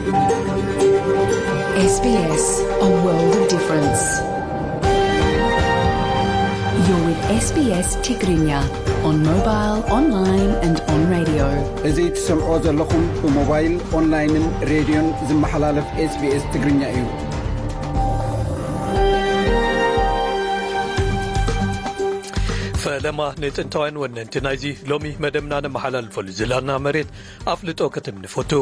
S B S, a world of difference. You're with S B S Tigrinya on mobile, online and on radio. እዚ ትሰምዖ ዘለኹም ብሞባይል፣ ኦንላይንን ሬድዮን ዝመሓላለፍ S B S ትግርኛ እዩ። ፈለማ ንጥንታውያን ወነንቲ ናይዚ ሎሚ መደብና ነመሓላልፈሉ ዝላና መሬት ኣፍልጦ ክትም ንፈቱ።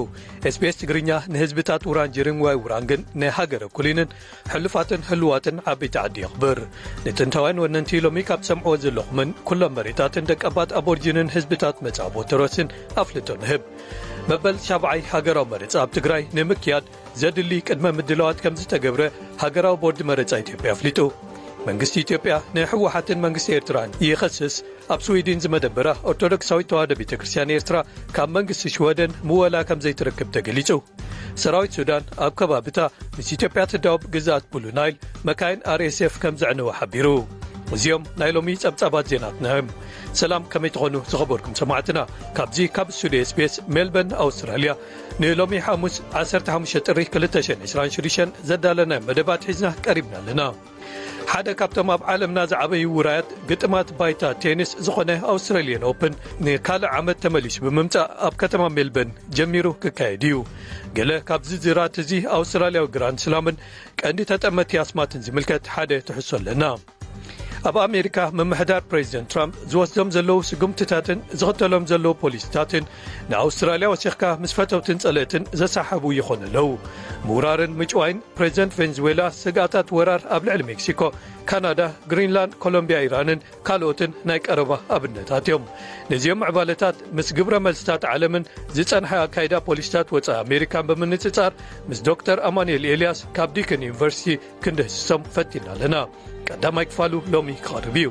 S B S ትግርኛ ንህዝብታት ውራንጅርን ወይ ውራንግን ንሃገረ ኩሊንን ሕሉፋትን ህልዋትን ዓበይቲ ዓዲ የኽብር። ንጥንታውያን ወነንቲ ሎሚ ካብ ትሰምዕዎ ዘለኹምን ኩሎም መሬታትን ደቀባት ኣቦርጂንን ህዝብታት መጻቦ ተሮስን ኣፍልጦ ንህብ። መበል ሻብዓይ ሃገራዊ መረጻ ኣብ ትግራይ ንምክያድ ዘድሊ ቅድመ ምድላዋት ከም ዝተገብረ ሃገራዊ ቦርድ መረጻ ኢትዮጵያ ኣፍሊጡ። መንግስቲ ኢትዮጵያ ንህወሓትን መንግስቲ ኤርትራን ይኸስስ። ኣብ ስዊድን ዝመደበራ ኦርቶዶክሳዊት ተዋህዶ ቤተ ክርስቲያን ኤርትራ ካብ መንግስቲ ሽወደን ምወላ ከም ዘይትረክብ ተገሊጹ። ሰራዊት ሱዳን ኣብ ከባብታ ምስ ኢትዮጵያ ትዳወብ ግዝኣት ብሉ ናይል መካይን R S F ከም ዘዕነወ ሓቢሩ። እዚኦም ናይ ሎሚ ጸብጻባት ዜናትና እዮም። ሰላም፣ ከመይ ትኾኑ ዝኸበርኩም ሰማዕትና? ካብዚ ካብ ስቱዲዮ S B S ሜልበርን ኣውስትራልያ ንሎሚ ሓሙስ ዓሰርተ ሓሙሽተ ጥሪ ክልተ ሽሕን ዕስራን ሽዱሽተን ዘዳለናዮ መደባት ሒዝና ቀሪብና ኣለና። ሓደ ካብቶም ኣብ ዓለምና ዝዓበዩ ውራያት ግጥማት ባይታ ቴኒስ ዝኾነ ኣውስትራልያን ኦፕን ንካልእ ዓመት ተመሊሱ ብምምጻእ ኣብ ከተማ ሜልበርን ጀሚሩ ክካየድ እዩ። ገለ ካብ ዝርዝራት እዚ ኣውስትራልያዊ ግራንድ ስላምን ቀንዲ ተጠመቲ ኣስማትን ዝምልከት ሓደ ትሕዝቶ ኣለና። ኣብ ኣሜሪካ ምምሕዳር ፕሬዚደንት ትራምፕ ዝወስዶም ዘለዉ ስጉምትታትን ዝኽተሎም ዘለዉ ፖሊሲታትን ንኣውስትራልያ ወሲኽካ ምስ ፈተውትን ጸለእትን ዘሰሓቡ ይኾኑ ኣለዉ። ምውራርን ምጭዋይን ፕሬዚደንት ቬንዙዌላ ስግኣታት ወራር ኣብ ልዕሊ ሜክሲኮ፣ ካናዳ፣ ግሪንላንድ፣ ኮሎምቢያ፣ ኢራንን ካልኦትን ናይ ቀረባ ኣብነታት እዮም። ነዚኦም ምዕባለታት ምስ ግብረ መልስታት ዓለምን ዝጸንሐ ኣካይዳ ፖሊሲታት ወጻኢ ኣሜሪካን ብምንጽጻር ምስ ዶክተር ኣማኑኤል ኤልያስ ካብ ዲክን ዩኒቨርሲቲ ክንድህስሶም ፈቲና ኣለና። ቀዳማይ ክፋሉ ሎሚ ክቐርብ እዩ።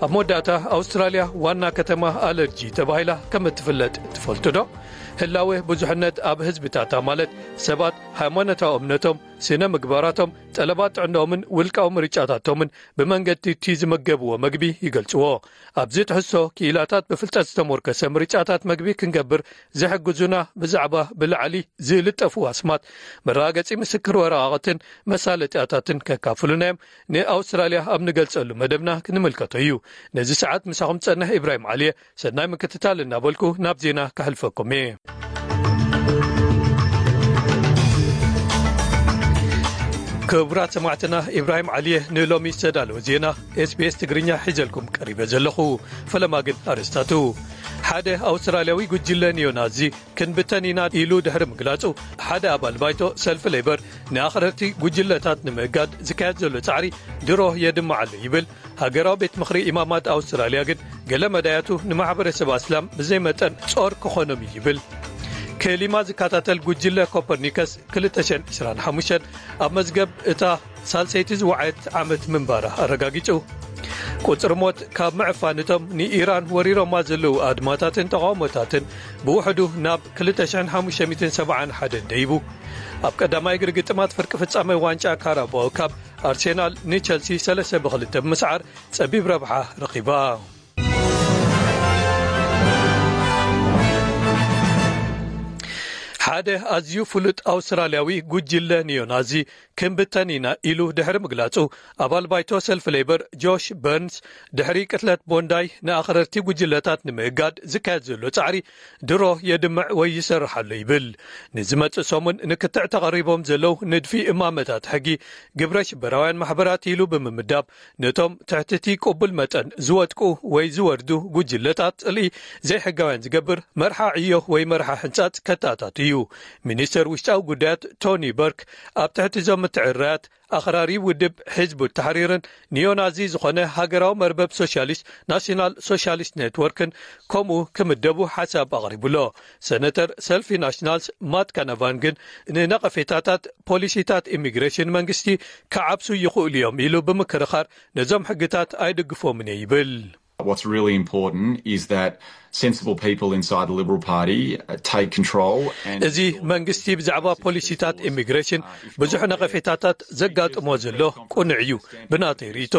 ኣብ መወዳእታ ኣውስትራልያ ዋና ከተማ ኣለርጂ ተባሂላ ከም እትፍለጥ ትፈልጡ ዶ? ህላወ ብዙሕነት ኣብ ህዝብታታ ማለት ሰባት ሃይማኖታዊ እምነቶም፣ ስነ ምግባራቶም፣ ጠለባት ጥዕናኦምን ውልቃዊ ምርጫታቶምን ብመንገዲ እቲ ዝመገብዎ መግቢ ይገልጽዎ። ኣብዚ ትሕዝቶ ክኢላታት ብፍልጠት ዝተሞርከሰ ምርጫታት መግቢ ክንገብር ዝሕግዙና ብዛዕባ ብላዕሊ ዝልጠፉ ኣስማት መረጋገጺ ምስክር ወረቓቕትን መሳለጥያታትን ከካፍሉና እዮም። ንኣውስትራልያ ኣብ ንገልጸሉ መደብና ክንምልከቶ እዩ። ነዚ ሰዓት ምሳኹም ጸንሕ ኢብራሂም ዓሊየ። ሰናይ ምክትታል እናበልኩ ናብ ዜና ከሕልፈኩም እየ። ክቡራት ሰማዕትና፣ ኢብራሂም ዓሊየ ንሎሚ ዝተዳለወ ዜና S B S ትግርኛ ሒዘልኩም ቀሪበ ዘለኹ። ፈለማ ግን ኣርእስታቱ። ሓደ ኣውስትራልያዊ ጉጅለ ኒዮናዚ ክንብተን ኢና ኢሉ ድሕሪ ምግላጹ፣ ሓደ ኣባል ባይቶ ሰልፊ ሌበር ንኣኽረርቲ ጉጅለታት ንምእጋድ ዝካየድ ዘሎ ጻዕሪ ድሮ የድምዕ ኣሎ ይብል። ሃገራዊ ቤት ምኽሪ ኢማማት ኣውስትራልያ ግን ገለ መዳያቱ ንማሕበረሰብ ኣስላም ብዘይ መጠን ጾር ክኾኖም እዩ ይብል። ክሊማ ዝከታተል ጉጅለ ኮፐርኒከስ ክልተ ሽሕን ዕስራን ሓሙሽተን ኣብ መዝገብ እታ ሳልሰይቲ ዝወዓየት ዓመት ምንባራ ኣረጋጊጹ። ቁጽሪ ሞት ካብ ምዕፋን እቶም ንኢራን ወሪሮማ ዘለዉ ኣድማታትን ተቓውሞታትን ብውሕዱ ናብ ክልተ ሽሕን ሓሙሽተ ሚእትን ሰብዓን ሓደን ደይቡ። ኣብ ቀዳማይ እግሪ ግጥማት ፍርቂ ፍጻመ ዋንጫ ካራባኦ ካፕ ኣርሴናል ንቸልሲ ሰለስተ ብክልተ ብምስዓር ጸቢብ ረብሓ ረኺባ። ሓደ ኣዝዩ ፍሉጥ ኣውስትራልያዊ ጉጅለ ኒዮናዚ ክንብተን ኢና ኢሉ ድሕሪ ምግላጹ፣ ኣባል ባይቶ ሰልፊ ሌበር ጆሽ በርንስ፣ ድሕሪ ቅትለት ቦንዳይ ንኣኽረርቲ ጉጅለታት ንምእጋድ ዝካየድ ዘሎ ጻዕሪ ድሮ የድምዕ ወይ ይሰርሕ ኣሎ ይብል። ንዝመጽእ ሰሙን ንክትዕ ተቐሪቦም ዘለዉ ንድፊ እማመታት ሕጊ ግብረ ሽበራውያን ማሕበራት ኢሉ ብምምዳብ፣ ነቶም ትሕቲ እቲ ቅቡል መጠን ዝወድቁ ወይ ዝወርዱ ጉጅለታት ጽልኢ ዘይሕጋውያን ዝገብር መርሓ ዕዮ ወይ መርሓ ሕንጻጽ ከተኣታቱ እዩ። ሚኒስተር ውሽጣዊ ጉዳያት ቶኒ በርክ ኣብ ትሕቲ እዞም ምትዕርራያት ኣኽራሪ ውድብ ሕዝቡ ተሕሪርን ኒዮናዚ ዝኾነ ሃገራዊ መርበብ ሶሻሊስት ናሽናል ሶሻሊስት ኔትወርክን ከምኡ ክምደቡ ሓሳብ ኣቕሪቡ ኣሎ። ሰነተር ሰልፊ ናሽናልስ ማት ካናቫን ግን ንነቐፌታታት ፖሊሲታት ኢሚግሬሽን መንግስቲ ክዓብሱ ይኽእሉ እዮም ኢሉ ብምክርኻር ነዞም ሕግታት ኣይድግፎምን እየ ይብል። What's really important is that sensible people inside the Liberal Party uh, take control and እዚ መንግስቲ ብዛዕባ ፖሊሲታት ኢሚግሬሽን ብዙሕ ነቐፌታታት ዘጋጥሞ ዘሎ ቅኑዕ እዩ። ብናተይ ርእይቶ፣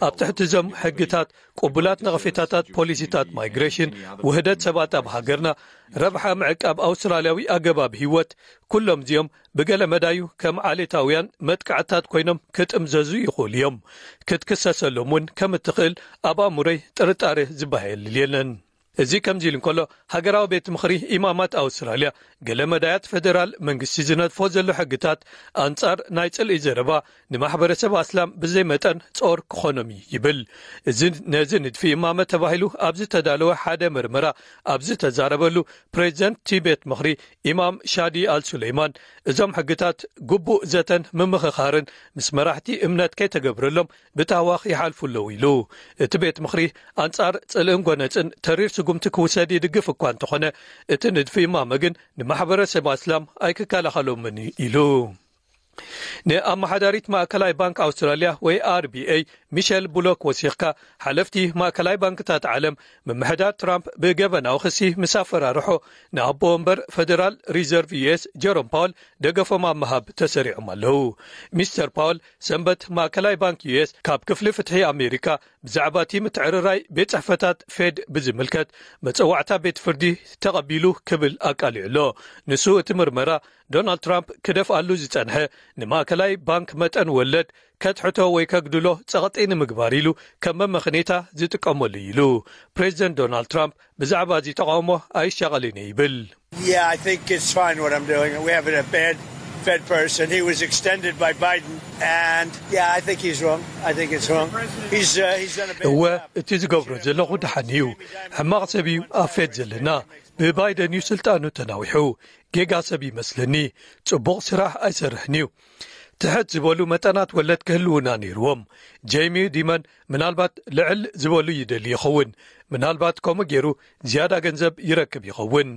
ኣብ ትሕቲ እዞም ሕግታት ቅቡላት ነቐፌታታት ፖሊሲታት ማይግሬሽን፣ ውህደት ሰባት ኣብ ሃገርና፣ ረብሓ ምዕቃብ ኣውስትራልያዊ ኣገባብ ህይወት፣ ኩሎም እዚኦም ብገለ መዳዩ ከም ዓሌታውያን መጥቃዕታት ኮይኖም ክጥምዘዙ ይኽእሉ እዮም። ክትክሰሰሎም እውን ከም እትኽእል ኣብ ኣእምሮይ ጥርጣረ ዝበሃል የለን። እዚ ከምዚ ኢሉ እንከሎ፣ ሃገራዊ ቤት ምኽሪ ኢማማት ኣውስትራልያ፣ ገለ መዳያት ፈደራል መንግስቲ ዝነድፎ ዘሎ ሕግታት ኣንጻር ናይ ጽልኢ ዘረባ ንማሕበረሰብ ኣስላም ብዘይ መጠን ጾር ክኾኖም እዩ ይብል። እዚ ነዚ ንድፊ እማመ ተባሂሉ ኣብ ዝተዳለወ ሓደ መርመራ ኣብ ዝተዛረበሉ፣ ፕሬዚደንት እቲ ቤት ምኽሪ ኢማም ሻዲ ኣልሱሌይማን፣ እዞም ሕግታት ግቡእ ዘተን ምምኽኻርን ምስ መራሕቲ እምነት ከይተገብረሎም ብታህዋኽ ይሓልፉ ኣለዉ ኢሉ። እቲ ቤት ምኽሪ ኣንጻር ጽልእን ጎነጽን ተሪር ስጉምቲ ክውሰድ ይድግፍ እኳ እንተኾነ፣ እቲ ንድፊ እማመ ግን ንማሕበረሰብ ኣስላም ኣይክከላኸሎምን ኢሉ። ንኣመሓዳሪት ማእከላይ ባንክ ኣውስትራልያ ወይ ኣርቢኤይ ሚሸል ቡሎክ ወሲኽካ፣ ሓለፍቲ ማእከላይ ባንክታት ዓለም ምምሕዳር ትራምፕ ብገበናዊ ክሲ ምስ ኣፈራርሖ፣ ንኣቦ ወንበር ፈደራል ሪዘርቭ ዩኤስ ጀሮም ፓወል ደገፎም ኣብ ምሃብ ተሰሪዖም ኣለዉ። ሚስተር ፓወል ሰንበት ማእከላይ ባንክ ዩኤስ ካብ ክፍሊ ፍትሒ ኣሜሪካ ብዛዕባ እቲ ምትዕርራይ ቤት ጽሕፈታት ፌድ ብዝምልከት መጸዋዕታ ቤት ፍርዲ ተቐቢሉ ክብል ኣቃሊዑ ኣሎ። ንሱ እቲ ምርመራ ዶናልድ ትራምፕ ክደፍኣሉ ዝጸንሐ ንማእከላይ ባንክ መጠን ወለድ ከትሕቶ ወይ ከግድሎ ጸቕጢ ንምግባር ኢሉ ከም መመኽኔታ ዝጥቀመሉ እዩ ኢሉ። ፕሬዚደንት ዶናልድ ትራምፕ ብዛዕባ እዚ ተቓውሞ ኣይሻቐልን እየ ይብል። Yeah, I think it's fine what I'm doing. We have a bad Fed person. He was extended by Biden, and yeah, I think he's wrong. I think it's wrong. He's uh, he's done a bad እወ job. እቲ ዝገብሮ ዘለኹ ደሓን እዩ። ሕማቕ ሰብ እዩ ኣብ ፌድ ዘለና። ብባይደን እዩ ስልጣኑ ተናዊሑ። ጌጋ ሰብ ይመስለኒ። ጽቡቕ ስራሕ ኣይሰርሕን እዩ። ትሕት ዝበሉ መጠናት ወለድ ክህልውና ነይርዎም። ጄሚ ዲመን ምናልባት ልዕል ዝበሉ ይደሊ ይኸውን። ምናልባት ከምኡ ገይሩ ዝያዳ ገንዘብ ይረክብ ይኸውን።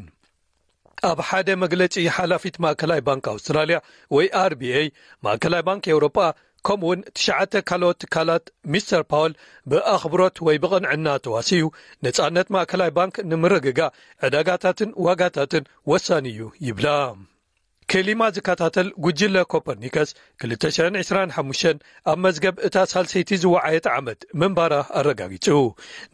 ኣብ ሓደ መግለጺ፣ ሓላፊት ማእከላይ ባንክ ኣውስትራልያ ወይ ኣርቢኤይ፣ ማእከላይ ባንክ ኤውሮጳ፣ ከምኡውን ትሽዓተ ካልኦት ትካላት፣ ሚስተር ፓወል ብኣኽብሮት ወይ ብቕንዕና ተዋሲኡ፣ ነጻነት ማእከላይ ባንክ ንምርግጋእ ዕዳጋታትን ዋጋታትን ወሳኒ እዩ ይብላ። ክሊማ ዝከታተል ጉጅለ ኮፐርኒከስ ክልተ ሽሕን ዕስራን ሓሙሽተን ኣብ መዝገብ እታ ሳልሰይቲ ዝወዓየት ዓመት ምንባራ ኣረጋጊጹ።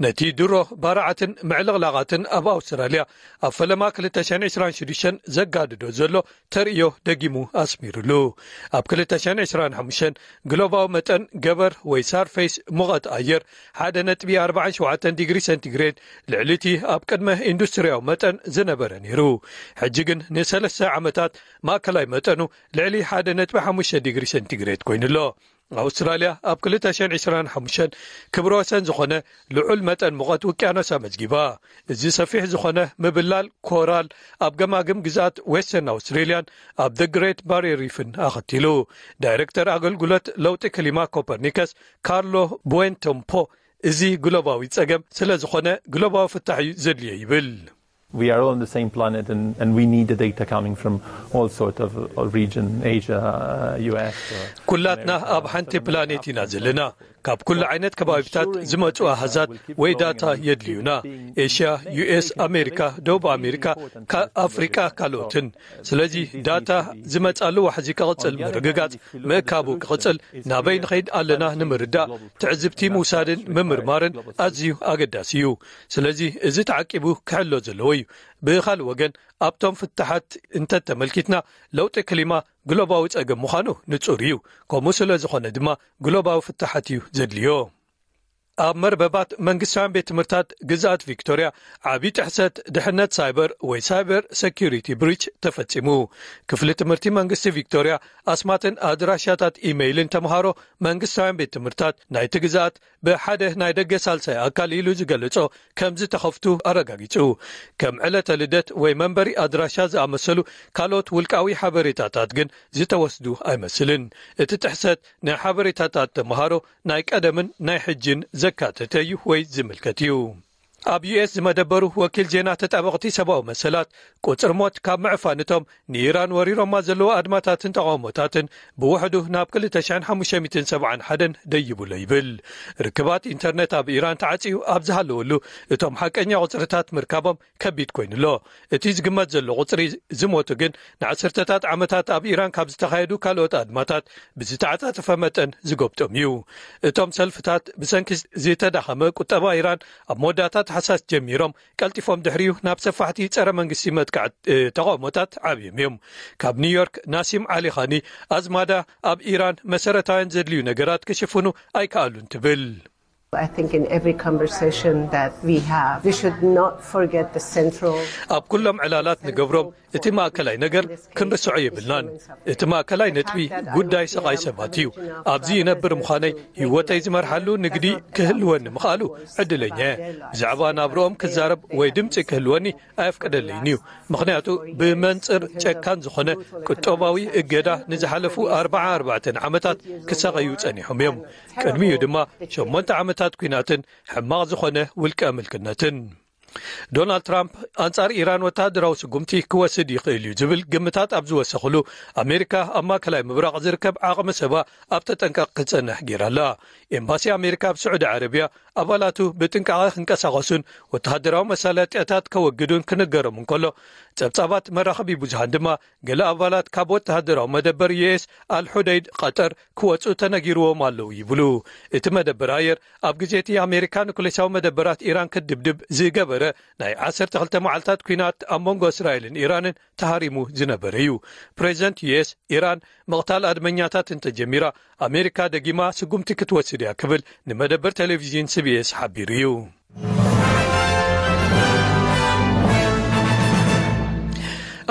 ነቲ ድሮ ባርዓትን ምዕልቕላቓትን ኣብ ኣውስትራልያ ኣብ ፈለማ ክልተ ሽሕን ዕስራን ሽዱሽተን ዘጋድዶ ዘሎ ተርእዮ ደጊሙ ኣስሚሩሉ። ኣብ ክልተ ሽሕን ዕስራን ሓሙሽተን ግሎባዊ መጠን ገበር ወይ ሳርፌስ ሙቐት ኣየር ሓደ ነጥቢ ኣርባዓን ሸውዓተን ዲግሪ ሴንቲግሬድ፣ ልዕሊ እቲ ኣብ ቅድመ ኢንዱስትርያዊ መጠን ዝነበረ ነይሩ። ሕጂ ግን ንሰለስተ ዓመታት ማእከላይ መጠኑ ልዕሊ ሓደ ነጥቢ ሓሙሽተ ዲግሪ ሴንቲግሬድ ኮይኑ ኣሎ። ኣውስትራልያ ኣብ ክልተ ሽሕን ዕስራን ሓሙሽተን ክብረ ወሰን ዝኾነ ልዑል መጠን ሙቐት ውቅያኖስ ኣመዝጊባ። እዚ ሰፊሕ ዝኾነ ምብላል ኮራል ኣብ ገማግም ግዝኣት ዌስተርን ኣውስትሬልያን ኣብ The Great Barrier Reef ን ኣኸቲሉ። ዳይሬክተር ኣገልግሎት ለውጢ ክሊማ ኮፐርኒከስ ካርሎ ቡዌንቶምፖ፣ እዚ ግሎባዊ ጸገም ስለ ዝኾነ ግሎባዊ ፍታሕ እዩ ዘድልዮ ይብል። We are all on the same planet, and, and we need the data coming from all sort of, of region, Asia, uh, U S. Uh, ኩላትና ኣብ ሓንቲ ፕላኔት ኢና ዘለና። ካብ ኩሉ ዓይነት ከባቢታት ዝመጹ ኣሃዛት ወይ ዳታ የድልዩና። ኤሽያ፣ ዩ ኤስ፣ ኣሜሪካ፣ ደቡብ ኣሜሪካ፣ ካ-፣ ኣፍሪቃ፣ ካልኦትን። ስለዚ ዳታ ዝመጻሉ ዋሕዚ ክቕጽል ምርግጋጽ፣ ምእካቡ ክቕጽል፣ ናበይ ንኸይድ ኣለና ንምርዳእ ትዕዝብቲ ምውሳድን ምምርማርን ኣዝዩ ኣገዳሲ እዩ። ስለዚ እዚ ተዓቂቡ ክሕሎ ዘለዎ እዩ። ብኻልእ ወገን ኣብቶም ፍታሓት እንተተመልኪትና ለውጢ ክሊማ ግሎባዊ ጸገም ምዃኑ ንጹር እዩ። ከምኡ ስለ ዝኾነ ድማ ግሎባዊ ፍታሓት እዩ ዘድልዮ። ኣብ መርበባት መንግስታውያን ቤት ትምህርታት ግዝኣት ቪክቶርያ ዓቢ ጥሕሰት ድሕነት ሳይበር ወይ ሳይበር ሴኩሪቲ ብሪች ተፈጺሙ። ክፍሊ ትምህርቲ መንግስቲ ቪክቶርያ ኣስማትን ኣድራሻታት ኢሜይልን ተምሃሮ መንግስታውያን ቤት ትምህርታት ናይቲ ግዝኣት ብሓደ ናይ ደገ ሳልሳይ ኣካል ኢሉ ዝገለጾ ከም ዝተኸፍቱ ኣረጋጊጹ። ከም ዕለተ ልደት ወይ መንበሪ ኣድራሻ ዝኣመሰሉ ካልኦት ውልቃዊ ሓበሬታታት ግን ዝተወስዱ ኣይመስልን። እቲ ጥሕሰት ንሓበሬታታት ተምሃሮ ናይ ቀደምን ናይ ሕጅን ዘካተተ እዩ ወይ ዝምልከት እዩ። ኣብ ዩ ኤስ ዝመደበሩ ወኪል ዜና ተጣበቕቲ ሰብኣዊ መሰላት ቁጽሪ ሞት ካብ ምዕፋን እቶም ንኢራን ወሪሮማ ዘለዉ ኣድማታትን ተቓውሞታትን ብውሕዱ ናብ ክልተ ሽሕን ሓሙሽተ ሚእትን ሰብዓን ሓደን ደይቡሎ ይብል። ርክባት ኢንተርነት ኣብ ኢራን ተዓጽዩ ኣብ ዝሃለወሉ፣ እቶም ሓቀኛ ቁጽርታት ምርካቦም ከቢድ ኮይኑሎ። እቲ ዝግመት ዘሎ ቁጽሪ ዝሞቱ ግን ንዓሰርተታት ዓመታት ኣብ ኢራን ካብ ዝተኻየዱ ካልኦት ኣድማታት ብዝተዓጻጸፈ መጠን ዝጎብጦም እዩ። እቶም ሰልፍታት ብሰንኪ ዝተዳኸመ ቁጠባ ኢራን ኣብ መወዳእታ ታሕሳስ ጀሚሮም ቀልጢፎም ድሕሪኡ ናብ ሰፋሕቲ ጸረ መንግስቲ መጥቃዕቲ ተቓውሞታት ዓብዮም እዮም። ካብ ኒውዮርክ ናሲም ዓሊ ኻኒ፣ ኣዝማዳ ኣብ ኢራን መሰረታውያን ዘድልዩ ነገራት ክሽፍኑ ኣይከኣሉን ትብል። I think in every conversation that we have, we should not forget the central. ኣብ ኩሎም ዕላላት ንገብሮም እቲ ማእከላይ ነገር ክንርስዖ የብልናን። እቲ ማእከላይ ነጥቢ ጉዳይ ሰቓይ ሰባት እዩ። ኣብዚ ይነብር ምዃነይ፣ ህይወተይ ዝመርሓሉ ንግዲ ክህልወኒ ምኽኣሉ ዕድለኛ እየ። ብዛዕባ ናብርኦም ክዛረብ ወይ ድምጺ ክህልወኒ ኣየፍቀደለይን እዩ። ምኽንያቱ ብመንጽር ጨካን ዝኾነ ቁጠባዊ እገዳ ንዝሓለፉ ኣርባዓ ኣርባዕተን ዓመታት ክሳቐዩ ጸኒሖም እዮም። ቅድሚኡ ድማ ሸሞንተ ዓመታት ኲናትን ሕማቕ ዝኾነ ውልቀ ምልክነትን። ዶናልድ ትራምፕ ኣንጻር ኢራን ወተሃደራዊ ስጉምቲ ክወስድ ይኽእል እዩ ዝብል ግምታት ኣብ ዝወሰኽሉ፣ ኣሜሪካ ኣብ ማእከላይ ምብራቕ ዝርከብ ዓቕሚ ሰባ ኣብ ተጠንቀቕ ክጸንሕ ገይራላ። ኤምባሲ ኣሜሪካ ኣብ ስዑዲ ዓረብያ ኣባላቱ ብጥንቃቐ ክንቀሳቐሱን ወተሃደራዊ መሳለጥያታት ከወግዱን ክንገሮም እንከሎ፣ ጸብጻባት መራኸቢ ብዙሃን ድማ ገለ ኣባላት ካብ ወተሃደራዊ መደበር ዩ ኤስ ኣልሑደይድ ቀጠር ክወጹ ተነጊርዎም ኣለዉ ይብሉ። እቲ መደበር ኣየር ኣብ ግዜ እቲ ኣሜሪካ ኑክሌሳዊ መደበራት ኢራን ክትድብድብ ዝገበረ ናይ ዓሰርተ ክልተ መዓልታት ኲናት ኣብ መንጎ እስራኤልን ኢራንን ተሃሪሙ ዝነበረ እዩ። ፕሬዚደንት ዩ ኤስ፣ ኢራን ምቕታል ኣድመኛታት እንተጀሚራ፣ ኣሜሪካ ደጊማ ስጉምቲ ክትወስድ እያ ክብል ንመደበር ቴሌቪዥን ሲ ቢ ኤስ ሓቢሩ እዩ።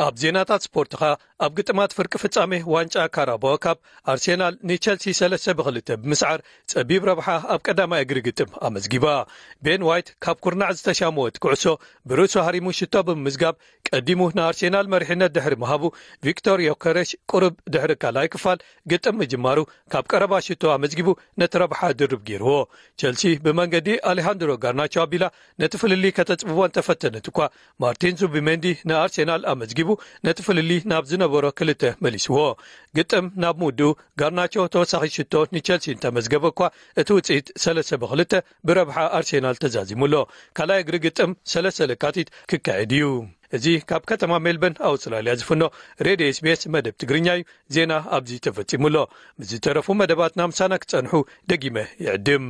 ኣብ ዜናታት ስፖርት ኸኣ፣ ኣብ ግጥማት ፍርቂ ፍጻሜ ዋንጫ ካራባኦ ካፕ፣ ኣርሴናል ንቸልሲ ሰለስተ ብክልተ ብምስዓር ጸቢብ ረብሓ ኣብ ቀዳማይ እግሪ ግጥም ኣመዝጊባ። ቤን ዋይት ካብ ኩርናዕ ዝተሻመወት ኩዕሶ ብርእሱ ሃሪሙ ሽቶ ብምምዝጋብ፣ ቀዲሙ ንኣርሴናል መሪሕነት ድሕሪ ምሃቡ፣ ቪክቶር ዮከረሽ ቁሩብ ድሕሪ ካልኣይ ክፋል ግጥም ምጅማሩ፣ ካብ ቀረባ ሽቶ ኣመዝጊቡ ነቲ ረብሓ ድርብ ገይርዎ። ቸልሲ ብመንገዲ ኣሌሃንድሮ ጋርናቾ ኣቢላ ነቲ ፍልልይ ከተጽብቦ እንተፈተነት እኳ፣ ማርቲን ዙቢሜንዲ ንኣርሴናል ኣመዝጊቡ ነቲ ፍልልይ ናብ ዝነበሮ ክልተ መሊስዎ። ግጥም ናብ ምውድኡ፣ ጋርናቾ ተወሳኺ ሽቶ ንቸልሲ እንተመዝገበ እኳ፣ እቲ ውጽኢት ሰለስተ ብክልተ ብረብሓ ኣርሴናል ተዛዚሙ ኣሎ። ካልኣይ እግሪ ግጥም ሰለስተ ለካቲት ክካየድ እዩ። እዚ ካብ ከተማ ሜልበርን ኣውስትራልያ ዝፍኖ ሬድዮ ኤስ ቢ ኤስ መደብ ትግርኛ እዩ። ዜና ኣብዚ ተፈጺሙ ኣሎ። ምስ ዝተረፉ መደባትና ምሳና ክጸንሑ ደጊመ ይዕድም።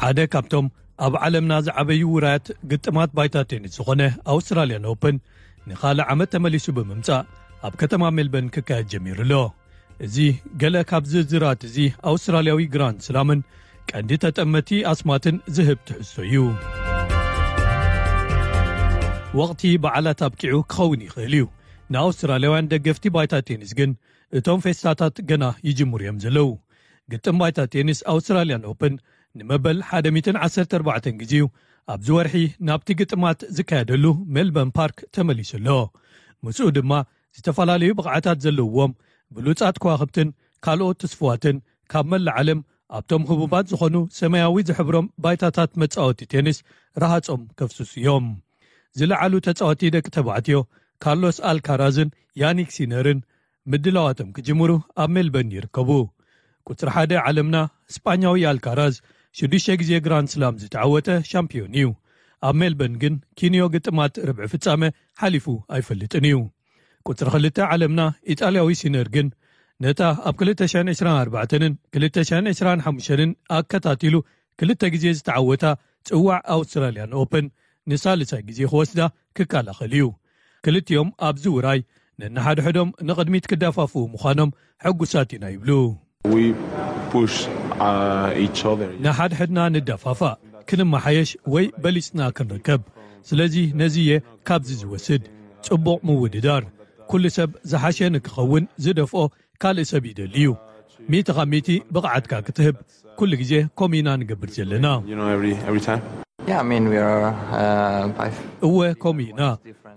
ሓደ ካብቶም ኣብ ዓለምና ዝዓበዩ ውራያት ግጥማት ባይታ ቴኒስ ዝኾነ ኣውስትራልያን ኦፕን ንኻልእ ዓመት ተመሊሱ ብምምጻእ ኣብ ከተማ ሜልበርን ክካየድ ጀሚሩ ኣሎ። እዚ ገለ ካብ ዝርዝራት እዚ ኣውስትራልያዊ ግራንድ ስላምን ቀንዲ ተጠመቲ ኣስማትን ዝህብ ትሕዝቶ እዩ። ወቕቲ በዓላት ኣብቂዑ ክኸውን ይኽእል እዩ። ንኣውስትራልያውያን ደገፍቲ ባይታ ቴኒስ ግን እቶም ፌስታታት ገና ይጅምሩ እዮም ዘለዉ። ግጥም ባይታ ቴኒስ ኣውስትራልያን ኦፕን ንመበል ሓደ ሚእትን ዓሰርተ ኣርባዕተን ግዜኡ ኣብዚ ወርሒ ናብቲ ግጥማት ዝካየደሉ ሜልበርን ፓርክ ተመሊሱ ኣሎ። ምስኡ ድማ ዝተፈላለዩ ብቕዓታት ዘለውዎም ብሉጻት ከዋኽብትን ካልኦት ትስፉዋትን ካብ መላእ ዓለም ኣብቶም ህቡባት ዝኾኑ ሰማያዊ ዝሕብሮም ባይታታት መጻወቲ ቴኒስ ረሃጾም ከፍስሱ እዮም። ዝለዓሉ ተጻወቲ ደቂ ተባዕትዮ ካርሎስ ኣልካራዝን ያኒክ ሲነርን ምድላዋቶም ክጅምሩ ኣብ ሜልበርን ይርከቡ። ቁጽሪ ሓደ ዓለምና ስጳኛዊ ኣልካራዝ ሽዱሽተ ግዜ ግራንድ ስላም ዝተዓወተ ሻምፒዮን እዩ። ኣብ ሜልበርን ግን ኪንዮ ግጥማት ርብዒ ፍጻመ ሓሊፉ ኣይፈልጥን እዩ። ቁጽሪ ክልተ ዓለምና ኢጣልያዊ ሲነር ግን ነታ ኣብ ክልተ ሽሕን ዕስራን ኣርባዕተንን ክልተ ሽሕን ዕስራን ሓሙሽተን ኣከታቲሉ ክልተ ግዜ ዝተዓወታ ጽዋዕ ኣውስትራልያን ኦፕን ንሳልሳይ ግዜ ክወስዳ ክከላኸል እዩ። ክልቲኦም ኣብዚ ውራይ ነንሓድሕዶም ንቕድሚት ክደፋፍኡ ምዃኖም ሕጉሳት ኢና ይብሉ። We push uh, each other. ንሓድሕድና ንደፋፋእ፣ ክንመሓየሽ ወይ በሊጽና ክንርከብ። ስለዚ ነዚ እየ ካብዚ ዝወስድ። ጽቡቕ ምውድዳር። ኩሉ ሰብ ዝሓሸ ንክኸውን ዝደፍኦ ካልእ ሰብ ይደሊ እዩ። ሚእቲ ካብ ሚእቲ ብቕዓትካ ክትህብ ኩሉ ግዜ ከምኡ ኢና ንገብር ዘለና። You know, every every time. Yeah, I mean, we are uh, by f- እወ ከምኡ ኢና።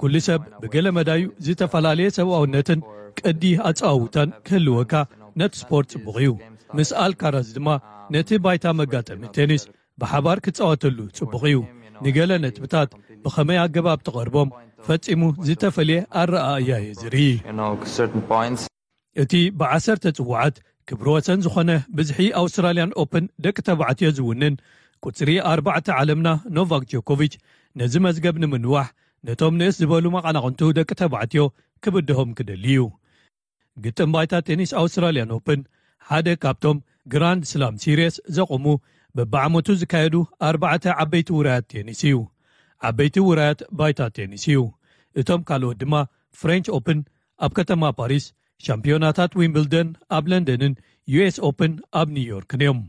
ኩሉ ሰብ ብገለ መዳዩ ዝተፈላለየ ሰብኣውነትን ቅዲ ኣጸዋውታን ክህልወካ ነቲ ስፖርት ጽቡቕ እዩ። ምስ ኣልካራዝ ድማ ነቲ ባይታ መጋጠሚ ቴኒስ ብሓባር ክጻወተሉ ጽቡቕ እዩ። ንገለ ነጥብታት ብኸመይ ኣገባብ ትቐርቦም ፈጺሙ ዝተፈልየ ኣረኣእያ እየ ዝርኢ። You know, certain points. እቲ ብዓሰርተ ጽዋዓት ክብሪ ወሰን ዝኾነ ብዝሒ ኣውስትራልያን ኦፕን ደቂ ተባዕትዮ ዝውንን ቁጽሪ ኣርባዕተ ዓለምና ኖቫክ ጆኮቪች ነዚ መዝገብ ንምንዋሕ ነቶም ንእስ ዝበሉ መቓናቕንቱ ደቂ ተባዕትዮ ክብድሆም ክደሊ እዩ። ግጥም ባይታ ቴኒስ ኣውስትራልያን ኦፕን ሓደ ካብቶም ግራንድ ስላም ሲሪየስ ዘቑሙ በብዓመቱ ዝካየዱ ኣርባዕተ ዓበይቲ ውራያት ቴኒስ እዩ። ዓበይቲ ውራያት ባይታ ቴኒስ እዩ። እቶም ካልኦት ድማ ፍሬንች ኦፕን ኣብ ከተማ ፓሪስ፣ ሻምፒዮናታት ዊምብልደን ኣብ ለንደንን ዩኤስ ኦፕን ኣብ ኒውዮርክን እዮም።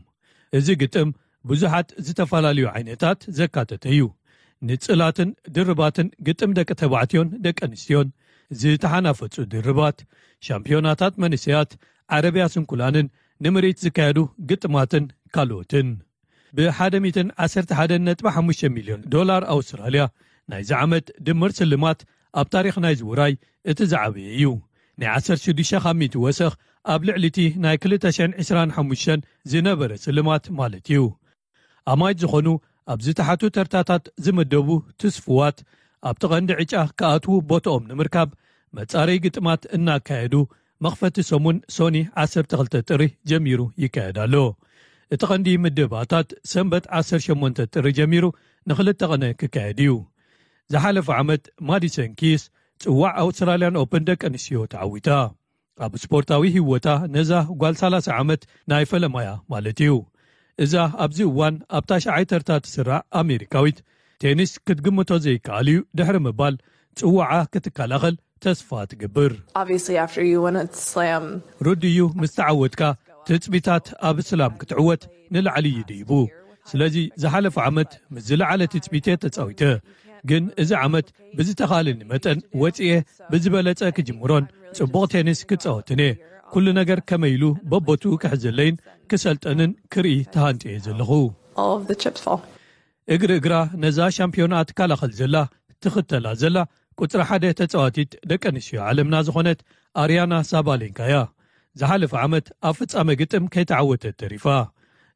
እዚ ግጥም ብዙሓት ዝተፈላለዩ ዓይነታት ዘካተተ እዩ። ንጽላትን ድርባትን ግጥም ደቂ ተባዕትዮን ደቂ ኣንስትዮን፣ ዝተሓናፈጹ ድርባት፣ ሻምፒዮናታት መንእሰያት፣ ዓረብያ ስንኩላንን ንምርኢት ዝካየዱ ግጥማትን ካልኦትን። ብ ሓደ ሚእትን ዓሰርተ ሓደን ነጥቢ ሓሙሽተ ሚልዮን ዶላር ኣውስትራልያ ናይዚ ዓመት ድምር ስልማት ኣብ ታሪኽ ናይዚ ውራይ እቲ ዝዓበየ እዩ። ናይ ዓሰርተ ሽዱሽተ ካብ ሚእቲ ወሰኽ ኣብ ልዕሊ እቲ ናይ ክልተ ሽሕን ዕስራን ሓሙሽተን ዝነበረ ስልማት ማለት እዩ። ኣማይት ዝኾኑ ኣብ ዝተሓቱ ተርታታት ዝምደቡ ትስፍዋት ኣብቲ ቀንዲ ዕጫ ክኣትዉ ቦትኦም ንምርካብ መጻረይ ግጥማት እናካየዱ መኽፈቲ ሰሙን ሶኒ ዓሰርተ ክልተ ጥሪ ጀሚሩ ይካየድ ኣሎ። እቲ ቀንዲ ምድባታት ሰንበት ዓሰርተ ሸሞንተ ጥሪ ጀሚሩ ንኽልተ ቀነ ክካየድ እዩ። ዝሓለፈ ዓመት ማዲሰን ኪስ ጽዋዕ ኣውስትራልያን ኦፕን ደቂ ኣንስትዮ ተዓዊታ። ኣብ ስፖርታዊ ህይወታ ነዛ ጓል ሰላሳ ዓመት ናይ ፈለማያ ማለት እዩ። እዛ ኣብዚ እዋን ኣብ ታሽዓይ ተርታ ትስራዕ ኣሜሪካዊት ቴኒስ ክትግምቶ ዘይከኣል እዩ ድሕሪ ምባል ጽዋዓ ክትከላኸል ተስፋ ትገብር። Obviously, after you win a slam, ርዱእ እዩ፣ ምስ ተዓወትካ ትጽቢታት ኣብ ስላም ክትዕወት ንላዕሊ ይድይቡ። ስለዚ ዝሓለፈ ዓመት ምስ ዝለዓለ ትጽቢት እየ ተጻዊተ፣ ግን እዚ ዓመት ብዝተኻለኒ መጠን ወጽኤ ብዝበለጸ ክጅምሮን ጽቡቕ ቴኒስ ክጻወትን እየ። ኩሉ ነገር ከመይ ኢሉ በቦቱ ክሕዘለይን ክሰልጠንን ክርኢ ተሃንጥየ ዘለኹ። All of the chips fall. እግሪ እግራ ነዛ ሻምፒዮና ትከላኸል ዘላ ትኽተላ ዘላ ቁጽሪ ሓደ ተጻዋቲት ደቂ ኣንስትዮ ዓለምና ዝኾነት ኣርያና ሳባሌንካ እያ። ዝሓለፈ ዓመት ኣብ ፍጻመ ግጥም ከይተዓወተት ተሪፋ።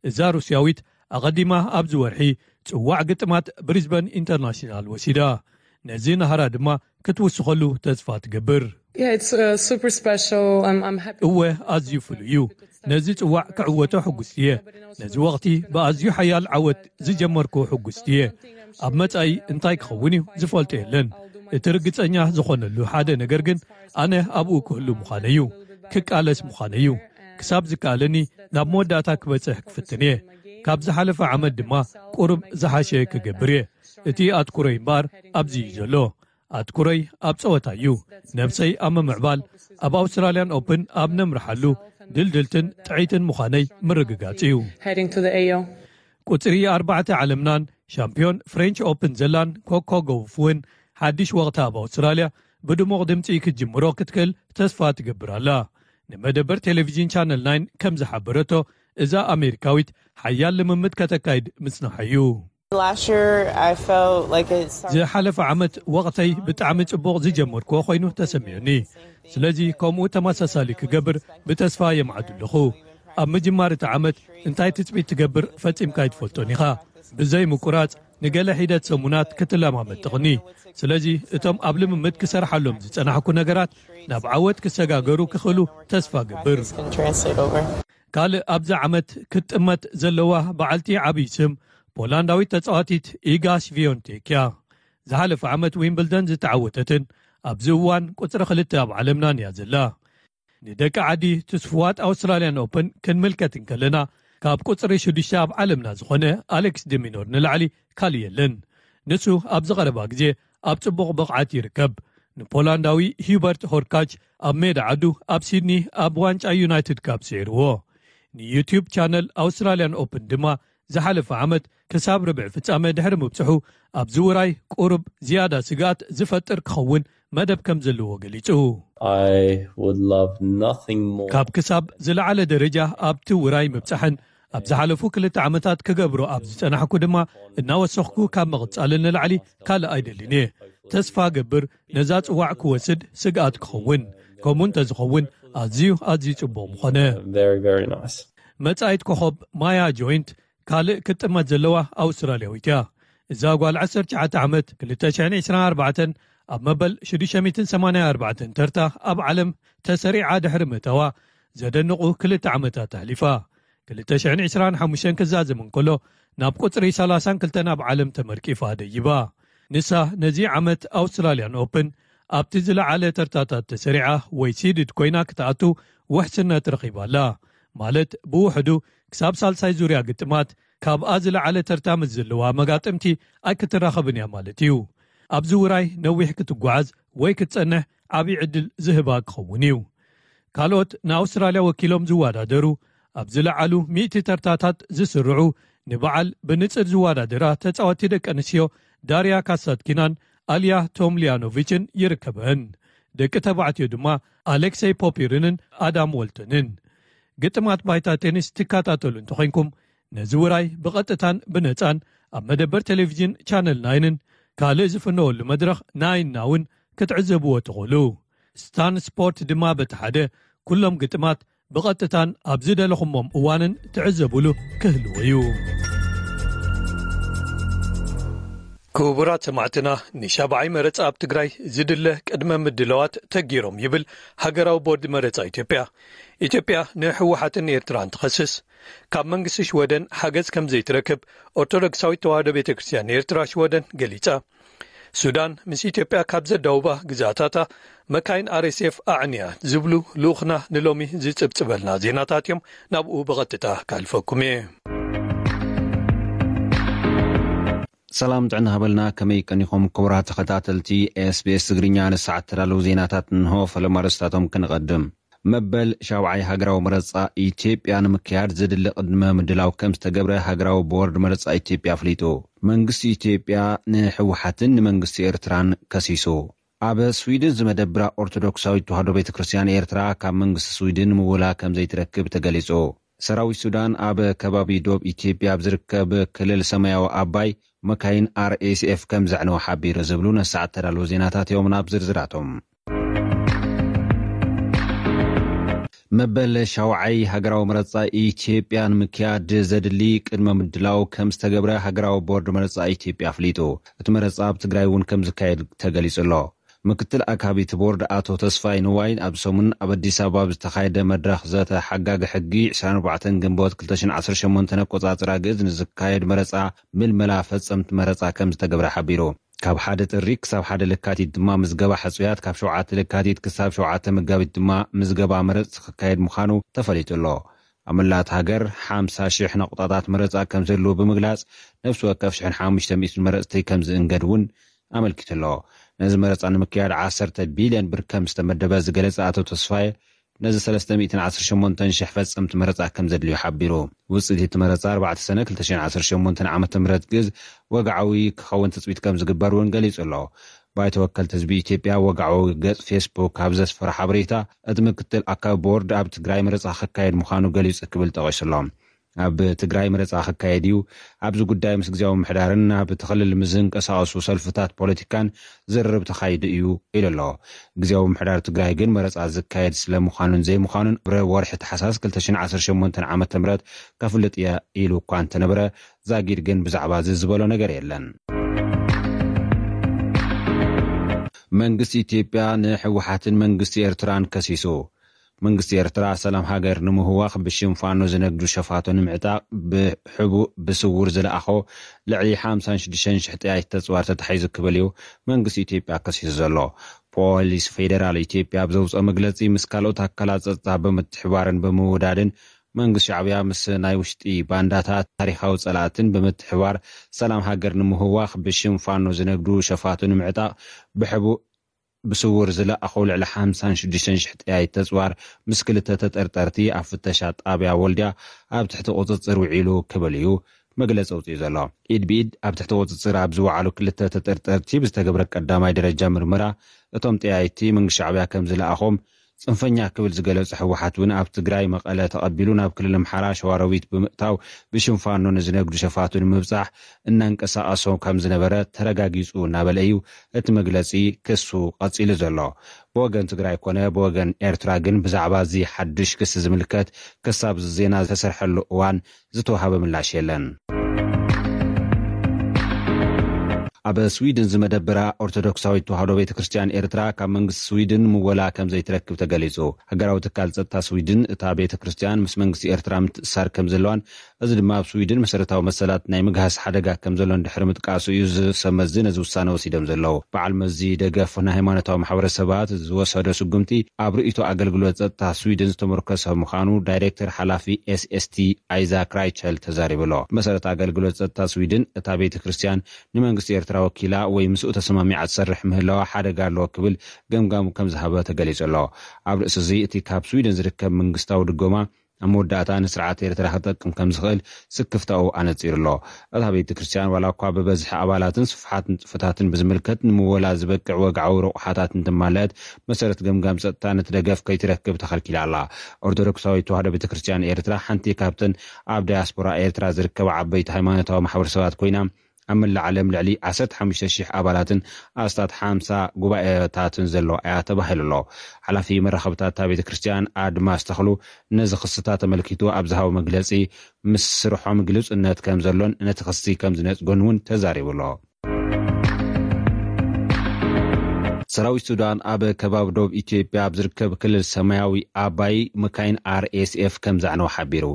እዛ ሩስያዊት ኣቐዲማ ኣብዚ ወርሒ ጽዋዕ ግጥማት ብሪዝበን ኢንተርናሽናል ወሲዳ። ነዚ ናህራ ድማ ክትውስኸሉ ተስፋ ትገብር። Yeah, it's uh, super special. I'm, I'm happy. እወ፣ ኣዝዩ ፍሉይ እዩ። ነዚ ጽዋዕ ክዕወቶ ሕጉስቲ እየ። ነዚ ወቕቲ ብኣዝዩ ሓያል ዓወት ዝጀመርኩ ሕጉስቲ እየ። ኣብ መጻኢ እንታይ ክኸውን እዩ ዝፈልጦ የለን። እቲ ርግጸኛ ዝኾነሉ ሓደ ነገር ግን ኣነ ኣብኡ ክህሉ ምዃነ እዩ፣ ክቃለስ ምዃነ እዩ። ክሳብ ዝከኣለኒ ናብ መወዳእታ ክበጽሕ ክፍትን እየ። ካብ ዝሓለፈ ዓመት ድማ ቁሩብ ዝሓሸ ክገብር እየ። እቲ ኣትኩሮይ እምበኣር ኣብዚ እዩ ዘሎ። ኣትኩሮይ ኣብ ጸወታ እዩ። ነብሰይ ኣብ ምምዕባል፣ ኣብ ኣውስትራልያን ኦፕን ኣብ ነምርሓሉ ድልድልትን ጥዕይትን ምዃነይ ምርግጋጽ እዩ። Heading to the A O. ቁጽሪ ኣርባዕተ ዓለምናን ሻምፒዮን ፍሬንች ኦፕን ዘላን ኮኮ ጎውፍ እውን ሓድሽ ወቕታ ኣብ ኣውስትራልያ ብድሙቕ ድምጺ ክትጅምሮ ክትክእል ተስፋ ትገብር ኣላ። ንመደበር ቴሌቪዥን ቻነል ናይን ከም ዝሓበረቶ፣ እዛ ኣሜሪካዊት ሓያል ልምምድ ከተካይድ ምጽናሓ እዩ። Last year, I felt like it started. ዝሓለፈ ዓመት ወቕተይ ብጣዕሚ ጽቡቕ ዝጀመርክዎ ኮይኑ ተሰሚዑኒ። ስለዚ ከምኡ ተመሳሳሊ ክገብር ብተስፋ የምዓዱ ኣለኹ። ኣብ ምጅማር እቲ ዓመት እንታይ ትጽቢት ትገብር ፈጺምካ ኣይትፈልጦን ኢኻ። ብዘይ ምቁራጽ ንገለ ሒደት ሰሙናት ክትለማመድ ትቕኒ። ስለዚ እቶም ኣብ ልምምድ ክሰርሓሎም ዝጸናሕኩ ነገራት ናብ ዓወት ክሰጋገሩ ክኽእሉ ተስፋ ገብር። Can translate over. ካልእ ኣብዚ ዓመት ክትጥመት ዘለዋ በዓልቲ ዓብዪ ስም ፖላንዳዊት ተጻዋቲት ኢጋ ሽቪዮንቴክ እያ። ዝሓለፈ ዓመት ዊምብልደን ዝተዓወተትን ኣብዚ እዋን ቁጽሪ ክልተ ኣብ ዓለምናን እያ ዘላ። ንደቂ ዓዲ ትስፍዋት ኣውስትራልያን ኦፕን ክንምልከት እንከለና ካብ ቁጽሪ ሽዱሽተ ኣብ ዓለምና ዝኾነ ኣሌክስ ዲሚኖር ንላዕሊ ካልእ የለን። ንሱ ኣብዚ ቀረባ ግዜ ኣብ ጽቡቕ ብቕዓት ይርከብ። ንፖላንዳዊ ሂውበርት ሆርካች ኣብ ሜዳ ዓዱ ኣብ ሲድኒ ኣብ ዋንጫ ዩናይትድ ካፕ ስዒርዎ። ንዩቲዩብ ቻነል ኣውስትራልያን ኦፕን ድማ ዝሓለፈ ዓመት ክሳብ ርብዒ ፍጻመ ድሕሪ ምብጽሑ ኣብዚ ውራይ ቁሩብ ዝያዳ ስግኣት ዝፈጥር ክኸውን መደብ ከም ዘለዎ ገሊጹ። I would love nothing more. ካብ ክሳብ ዝለዓለ ደረጃ ኣብቲ ውራይ ምብጻሕን ኣብ ዝሓለፉ ክልተ ዓመታት ክገብሮ ኣብ ዝጸናሕኩ ድማ እናወሰኽኩ ካብ ምቕጻልን ንላዕሊ ካልእ ኣይደልን እየ። ተስፋ ገብር ነዛ ጽዋዕ ክወስድ ስግኣት ክኸውን፣ ከምኡ እንተዝኸውን ኣዝዩ ኣዝዩ ጽቡቕ ምኾነ። Very, very nice. መጻኢት ኮኸብ ማያ ጆይንት ካልእ ክትጥመት ዘለዋ ኣውስትራልያዊት እያ። እዛ ጓል ዓሰርተ ትሽዓተ ዓመት ክልተ ሽሕን ዕስራን ኣርባዕተን ኣብ መበል ሽዱሽተ ሚእትን ሰማንያን ኣርባዕተን ተርታ ኣብ ዓለም ተሰሪዓ ድሕሪ ምእታዋ ዘደንቑ ክልተ ዓመታት ኣሕሊፋ። ክልተ ሽሕን ዕስራን ሓሙሽተን ክዛዘም እንከሎ ናብ ቁጽሪ ሰላሳን ክልተን ኣብ ዓለም ተመርቂፋ ደይባ። ንሳ ነዚ ዓመት ኣውስትራልያን ኦፕን ኣብቲ ዝለዓለ ተርታታት ተሰሪዓ ወይ ሲድድ ኮይና ክትኣቱ ውሕስነት ረኺባ ኣላ። ማለት ብውሕዱ ክሳብ ሳልሳይ ዙርያ ግጥማት ካብኣ ዝለዓለ ተርታ ምስ ዘለዋ መጋጥምቲ ኣይክትራኸብን እያ ማለት እዩ። ኣብዚ ውራይ ነዊሕ ክትጓዓዝ ወይ ክትጸንሕ ዓብዪ ዕድል ዝህባ ክኸውን እዩ። ካልኦት ንኣውስትራልያ ወኪሎም ዝወዳደሩ ኣብ ዝለዓሉ ሚእቲ ተርታታት ዝስርዑ ንበዓል ብንጽር ዝወዳደራ ተጻወቲ ደቂ ኣንስትዮ ዳርያ ካሳትኪናን ኣልያ ቶምሊያኖቪችን ይርከበን። ደቂ ተባዕትዮ ድማ ኣሌክሰይ ፖፒርንን ኣዳም ወልተንን። ግጥማት ባይታ ቴኒስ ትከታተሉ እንተኾይንኩም ነዚ ውራይ ብቐጥታን ብነጻን ኣብ መደበር ቴሌቪዥን ቻነል ናይንን ካልእ ዝፍነወሉ መድረኽ ናይንና እውን ክትዕዘብዎ ትኽእሉ። ስታን ስፖርት ድማ በቲ ሓደ ኩሎም ግጥማት ብቐጥታን ኣብ ዝደለኹሞም እዋንን ትዕዘቡሉ ክህልዎ እዩ። ክቡራት ሰማዕትና፣ ንሻብዓይ መረጻ ኣብ ትግራይ ዝድለ ቅድመ ምድላዋት ተጊሮም ይብል ሃገራዊ ቦርድ መረጻ ኢትዮጵያ። ኢትዮጵያ ንህወሓትን ኤርትራን ትኸስስ። ካብ መንግስቲ ሽወደን ሓገዝ ከም ዘይትረክብ ኦርቶዶክሳዊት ተዋህዶ ቤተ ክርስቲያን ኤርትራ ሽወደን ገሊጻ። ሱዳን ምስ ኢትዮጵያ ካብ ዘዳውባ ግዛታታ መካይን ኣር ኤስ ኤፍ ኣዕንያ ዝብሉ ልኡኽና ንሎሚ ዝጽብጽበልና ዜናታት እዮም። ናብኡ ብቐጥታ ካልፈኩም እየ። ሰላም ጥዕና ሃበልና፣ ከመይ ቀኒኹም ክቡራት ተኸታተልቲ ኤስ ቢ ኤስ ትግርኛ? ንሰዓት ተዳለዉ ዜናታት እንሆ። ፈለማ ርእስታቶም ክንቐድም። መበል ሻብዓይ ሃገራዊ መረጻ ኢትዮጵያ ንምክያድ ዘድሊ ቅድመ ምድላው ከም ዝተገብረ ሃገራዊ ቦርድ መረጻ ኢትዮጵያ ኣፍሊጡ። መንግስቲ ኢትዮጵያ ንህወሓትን ንመንግስቲ ኤርትራን ከሲሱ። ኣብ ስዊድን ዝመደብራ ኦርቶዶክሳዊት ተዋህዶ ቤተ ክርስቲያን ኤርትራ ካብ መንግስቲ ስዊድን ምውላ ከም ዘይትረክብ ተገሊጹ። ሰራዊት ሱዳን ኣብ ከባቢ ዶብ ኢትዮጵያ ኣብ ዝርከብ ክልል ሰማያዊ ኣባይ መካይን ኣር ኤስ ኤፍ ከም ዘዕነወ ሓቢሩ ዝብሉ ነሰዓት ተዳለዉ ዜናታት እዮም። ናብ ዝርዝራቶም። መበል ሻውዓይ ሃገራዊ መረጻ ኢትዮጵያ ንምክያድ ዘድሊ ቅድመ ምድላው ከም ዝተገብረ ሃገራዊ ቦርድ መረጻ ኢትዮጵያ ኣፍሊጡ። እቲ መረጻ ኣብ ትግራይ እውን ከም ዝካየድ ተገሊጹ ኣሎ። ምክትል ኣካቢት ቦርድ ኣቶ ተስፋይ ንዋይ ኣብ ሰሙን ኣብ ኣዲስ ኣበባ ኣብ ዝተኻየደ መድረኽ ዘተ ሓጋጊ ሕጊ ዕስራን ኣርባዕተን ግንቦት ክልተ ሽሕን ዓሰርተ ሸሞንተን ኣቆጻጽራ ግእዝ ንዝካየድ መረጻ ምልመላ ፈጸምቲ መረጻ ከም ዝተገብረ ሓቢሩ። ካብ ሓደ ጥሪ ክሳብ ሓደ ለካቲት ድማ ምዝገባ ሕጹያት፣ ካብ ሸውዓተ ለካቲት ክሳብ ሸውዓተ መጋቢት ድማ ምዝገባ መረጽቲ ክካየድ ምዃኑ ተፈሊጡ ኣሎ። ኣብ መላእ ሃገር ሓምሳ ሽሕ ነቑጣታት መረጻ ከም ዘህልዉ ብምግላጽ፣ ነፍሲ ወከፍ ሽሕን ሓሙሽተ ሚእትን መረጽቲ ከም ዝእንገድ እውን ኣመልኪቱ ኣሎ። ነዚ መረጻ ንምክያድ ዓሰርተ ቢልዮን ብር ከም ዝተመደበ ዝገለጸ ኣቶ ተስፋየ፣ ነዚ ሰለስተ ሚእትን ዓሰርተ ሸሞንተን ሽሕ ፈጸምቲ መረጻ ከም ዘድልዩ ሓቢሩ። ውጽኢት እቲ መረጻ ኣርባዕተ ሰነ ክልተ ሽሕን ዓሰርተ ሸሞንተን ዓመተ ምህረት ግእዝ ወግዓዊ ክኸውን ትጽቢት ከም ዝግበር እውን ገሊጹ ኣሎ። ባይቶ ወከልቲ ህዝቢ ኢትዮጵያ ወግዓዊ ገጽ ፌስቡክ ኣብ ዘስፈሮ ሓበሬታ፣ እቲ ምክትል ኣካቢ ቦርድ ኣብ ትግራይ መረጻ ክካየድ ምዃኑ ገሊጹ ክብል ጠቒሱ ኣሎ። ኣብ ትግራይ መረጻ ክካየድ እዩ። ኣብዚ ጉዳይ ምስ ግዜያዊ ምምሕዳርን ኣብ እቲ ክልል ምስ ዝንቀሳቐሱ ሰልፍታት ፖለቲካን ዝርርብ ተኻይዱ እዩ ኢሉ ኣሎ። ግዜያዊ ምምሕዳር ትግራይ ግን መረጻ ዝካየድ ስለ ምዃኑን ዘይምዃኑን ኣብ ወርሒ ታሕሳስ ክልተ ሽሕን ዓሰርተ ሸሞንተን ዓመተ ምህረት ከፍልጥ እየ ኢሉ እኳ እንተነበረ፣ ዛጊድ ግን ብዛዕባ እዚ ዝበሎ ነገር የለን። መንግስቲ ኢትዮጵያ ንህወሓትን መንግስቲ ኤርትራን ከሲሱ። መንግስቲ ኤርትራ ሰላም ሃገር ንምህዋኽ ብሽም ፋኖ ዝነግዱ ሸፋቱ ንምዕጣቕ ብሕቡእ ብስውር ዝለኣኾ ልዕሊ ሓምሳን ሽዱሽተን ሽሕ ጠያይቲ ተጽዋር ተታሒዙ ክብል እዩ መንግስቲ ኢትዮጵያ ከሲሱ ዘሎ። ፖሊስ ፌዴራል ኢትዮጵያ ኣብ ዘውፅኦ መግለፂ፣ ምስ ካልኦት ኣካላት ጸጥታ ብምትሕባርን ብምውዳድን መንግስቲ ሻዕብያ ምስ ናይ ውሽጢ ባንዳታት ታሪኻዊ ጸላእትን ብምትሕባር ሰላም ሃገር ንምህዋኽ ብሽም ፋኖ ዝነግዱ ሸፋቱ ንምዕጣቕ ብሕቡእ ብስውር ዝለኣኾ ልዕሊ ሓምሳን ሽዱሽተን ሽሕ ጠያይቲ ተጽዋር ምስ ክልተ ተጠርጠርቲ ኣብ ፍተሻ ጣብያ ወልድያ ኣብ ትሕቲ ቁጽጽር ውዒሉ ክብል እዩ መግለጺ ኣውጺኡ ዘሎ። ኢድ ብኢድ ኣብ ትሕቲ ቁጽጽር ኣብ ዝወዓሉ ክልተ ተጠርጠርቲ ብዝተገብረ ቀዳማይ ደረጃ ምርመራ፣ እቶም ጠያይቲ መንግስቲ ሻዕብያ ከም ዝለኣኾም ጽንፈኛ ክብል ዝገለጾ ህወሓት እውን ኣብ ትግራይ መቐለ ተቐቢሉ ናብ ክልል ኣምሓራ ሸዋሮቢት ብምእታው ብሽም ፋኖ ንዝነግዱ ሸፋቱ ንምብጻሕ እናንቀሳቐሶም ከም ዝነበረ ተረጋጊጹ እናበለ እዩ እቲ መግለጺ ክሱ ቀጺሉ ዘሎ። ብወገን ትግራይ ኮነ ብወገን ኤርትራ ግን ብዛዕባ እዚ ሓድሽ ክሲ ዝምልከት ክሳብ ዜና ዝተሰርሐሉ እዋን ዝተዋሃበ ምላሽ የለን። ኣብ ስዊድን ዝመደበራ ኦርቶዶክሳዊት ተዋህዶ ቤተ ክርስቲያን ኤርትራ ካብ መንግስቲ ስዊድን ምወላ ከም ዘይትረክብ ተገሊጹ። ሃገራዊ ትካል ጸጥታ ስዊድን እታ ቤተ ክርስቲያን ምስ መንግስቲ ኤርትራ ምትእሳር ከም ዘለዋን እዚ ድማ ኣብ ስዊድን መሰረታዊ መሰላት ናይ ምግሃስ ሓደጋ ከም ዘሎን ድሕሪ ምጥቃሱ እዩ ዝሰመዚ ነዚ ውሳነ ወሲዶም ዘለዉ። በዓል መዚ ደገፍ ናይ ሃይማኖታዊ ማሕበረሰባት ዝወሰዶ ስጉምቲ ኣብ ርእይቶ ኣገልግሎት ጸጥታ ስዊድን ዝተመርኮሰ ምዃኑ ዳይሬክተር ሓላፊ ኤስኤስቲ ኣይዛክ ራይቸል ተዛሪቡ ኣሎ። መሰረት ኣገልግሎት ጸጥታ ስዊድን እታ ቤተ ክርስቲያን ንመንግስቲ ኤርትራ ወኪላ ወይ ምስኡ ተሰማሚዓ ትሰርሕ ምህላዋ ሓደጋ ኣለዎ ክብል ገምጋሙ ከም ዝሃበ ተገሊጹ ኣሎ። ኣብ ርእሲ እዚ እቲ ካብ ስዊድን ዝርከብ መንግስታዊ ድጎማ ኣብ መወዳእታ ንስርዓት ኤርትራ ክጠቅም ከም ዝኽእል ስክፍታኡ ኣነጺሩ ኣሎ። እታ ቤተ ክርስቲያን ዋላ እኳ ብበዝሒ ኣባላትን ስፍሓት ንጥፈታትን ብዝምልከት ንምወላ ዝበቅዕ ወግዓዊ ረቑሓታት እንትማለአት መሰረት ገምጋም ጸጥታ ነቲ ደገፍ ከይትረክብ ተኸልኪላ ኣላ። ኦርቶዶክሳዊት ተዋህዶ ቤተ ክርስቲያን ኤርትራ ሓንቲ ካብተን ኣብ ዳያስፖራ ኤርትራ ዝርከባ ዓበይቲ ሃይማኖታዊ ማሕበረሰባት ኮይና ኣብ መላእ ዓለም ልዕሊ ዓሰርተ ሓሙሽተ ሽሕ ኣባላትን ኣስታት ሓምሳ ጉባኤታትን ዘለዋ እያ ተባሂሉ ኣሎ። ሓላፊ መራኸብታት እታ ቤተ ክርስቲያን ኣድማስ ተኽሉ ነዚ ክስታት ተመልኪቱ ኣብ ዝሃቦ መግለጺ ምስ ስርሖም ግልጽነት ከም ዘሎን ነቲ ክሲ ከም ዝነጽጎን እውን ተዛሪቡ ኣሎ። ሰራዊት ሱዳን ኣብ ከባቢ ዶብ ኢትዮጵያ ኣብ ዝርከብ ክልል ሰማያዊ ኣባይ መካይን ኣርኤስኤፍ ከም ዘዕነወ ሓቢሩ።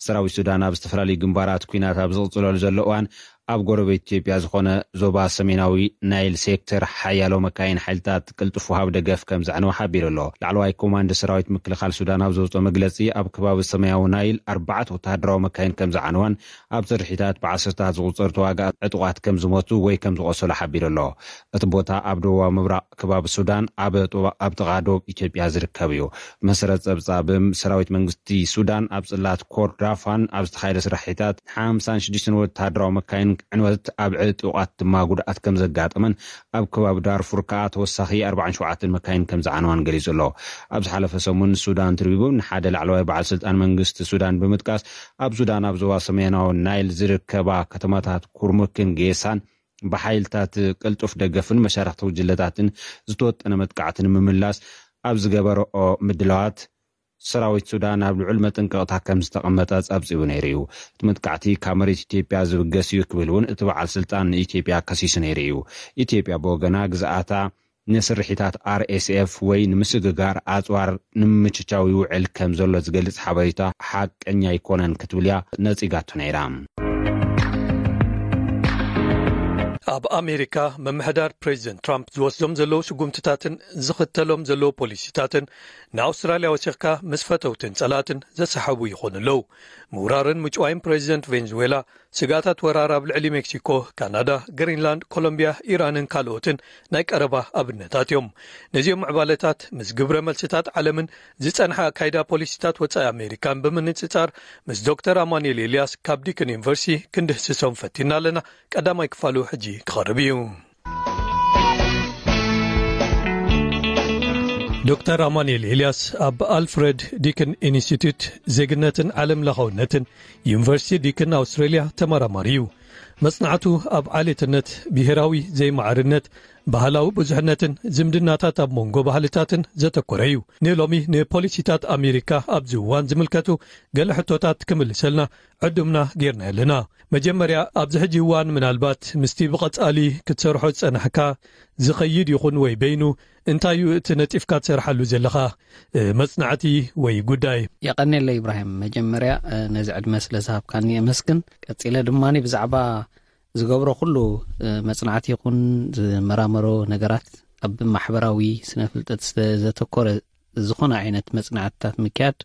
ሰራዊት ሱዳን ኣብ ዝተፈላለዩ ግንባራት ኲናት ኣብ ዝቕጽለሉ ዘሎ እዋን ኣብ ጎረቤት ኢትዮጵያ ዝኾነ ዞባ ሰሜናዊ ናይል ሴክተር ሓያሎ መካይን ሓይልታት ቅልጡፍ ወሃብ ደገፍ ከም ዘዕነወ ሓቢሩ ኣሎ። ላዕለዋይ ኮማንድ ሰራዊት ምክልኻል ሱዳን ኣብ ዘውፅኦ መግለፂ ኣብ ከባቢ ሰማያዊ ናይል ኣርባዕተ ወታደራዊ መካይን ከም ዘዓነዋን ኣብ ስርሒታት ብዓሰርታት ዝቑጸሩ ተዋጋእ ዕጡቓት ከም ዝሞቱ ወይ ከም ዝቖሰሉ ሓቢሩ ኣሎ። እቲ ቦታ ኣብ ደቡባዊ ምብራቕ ከባቢ ሱዳን ኣብ ጥቓ ዶብ ኢትዮጵያ ዝርከብ እዩ። ብመሰረት ጸብጻብ ሰራዊት መንግስቲ ሱዳን ኣብ ጽላት ኮርዳፋን ኣብ ዝተኻየደ ስራሒታት ሓምሳን ሽዱሽተን ወታደራዊ መካይን ዕንወት ኣብ ዕጡቓት ድማ ጉድኣት ከም ዘጋጠመን ኣብ ከባቢ ዳርፉር ከኣ ተወሳኺ ኣርባዓን ሸውዓተን መካይን ከም ዝዓነዋን ገሊጹ ኣሎ። ኣብ ዝሓለፈ ሰሙን ሱዳን ትሪቡን ንሓደ ላዕለዋይ በዓል ስልጣን መንግስቲ ሱዳን ብምጥቃስ ኣብ ሱዳን ኣብ ዞባ ሰሜናዊ ናይል ዝርከባ ከተማታት ኩርሙክን ጌሳን ብሓይልታት ቅልጡፍ ደገፍን መሻርኽቲ ውጅለታትን ዝተወጠነ መጥቃዕቲ ንምምላስ ኣብ ዝገበረኦ ምድላዋት ሰራዊት ሱዳን ኣብ ልዑል መጠንቀቕታ ከም ዝተቐመጠ ጸብጺቡ ነይሩ እዩ። እቲ መጥቃዕቲ ካብ መሬት ኢትዮጵያ ዝብገስ እዩ ክብል እውን እቲ በዓል ስልጣን ንኢትዮጵያ ከሲሱ ነይሩ እዩ። ኢትዮጵያ ብወገና ግዝኣታ ንስርሒታት ኣርኤስኤፍ ወይ ንምስግጋር ኣጽዋር ንምምችቻው ይውዕል ከም ዘሎ ዝገልጽ ሓበሬታ ሓቀኛ ኣይኮነን ክትብል እያ ነጺጋቶ ነይራ። ኣብ ኣሜሪካ ምምሕዳር ፕሬዚደንት ትራምፕ ዝወስዶም ዘለዉ ስጉምትታትን ዝኽተሎም ዘለዉ ፖሊሲታትን ንኣውስትራልያ ወሲኽካ ምስ ፈተውትን ጸላእትን ዘሰሓቡ ይኾኑ ኣለዉ። ምውራርን ምጭዋይን ፕሬዚደንት ቬንዙዌላ ስግኣታት ወራር ኣብ ልዕሊ ሜክሲኮ፣ ካናዳ፣ ግሪንላንድ፣ ኮሎምቢያ፣ ኢራንን ካልኦትን ናይ ቀረባ ኣብነታት እዮም። ነዚኦም ምዕባለታት ምስ ግብረ መልስታት ዓለምን ዝጸንሐ ኣካይዳ ፖሊሲታት ወጻኢ ኣሜሪካን ብምንጽጻር ምስ ዶክተር ኣማኑኤል ኤልያስ ካብ ዲክን ዩኒቨርሲቲ ክንድህስሶም ፈቲና ኣለና። ቀዳማይ ክፋሉ ሕጂ ክቐርብ እዩ። ዶክተር ኣማኑኤል ኤልያስ ኣብ ኣልፍረድ ዲክን ኢንስቲትዩት ዜግነትን ዓለም ለኻውነትን ዩኒቨርሲቲ ዲክን ኣውስትሬልያ ተመራማሪ እዩ። መጽናዕቱ ኣብ ዓሌትነት፣ ብሄራዊ ዘይማዕርነት፣ ባህላዊ ብዙሕነትን ዝምድናታት ኣብ መንጎ ባህልታትን ዘተኮረ እዩ። ንሎሚ ንፖሊሲታት ኣሜሪካ ኣብዚ እዋን ዝምልከቱ ገለ ሕቶታት ክምልሰልና ዕዱምና ጌርና ኣለና። መጀመርያ ኣብዚ ሕጂ እዋን ምናልባት ምስቲ ብቐጻሊ ክትሰርሖ ዝጸናሕካ ዝኸይድ ይኹን ወይ በይኑ እንታይ እዩ እቲ ነጢፍካ ትሰርሓሉ ዘለኻ መጽናዕቲ ወይ ጉዳይ? የቐኔለ ኢብራሂም፣ መጀመርያ ነዚ ዕድመ ስለ ዝሃብካኒ የመስግን። ቀጺለ ድማ ብዛዕባ ዝገብሮ ኩሉ መጽናዕቲ ይኹን ዝመራመሮ ነገራት ኣብ ማሕበራዊ ስነ ፍልጠት ዘተኮረ ዝኾነ ዓይነት መጽናዕትታት ምክያድ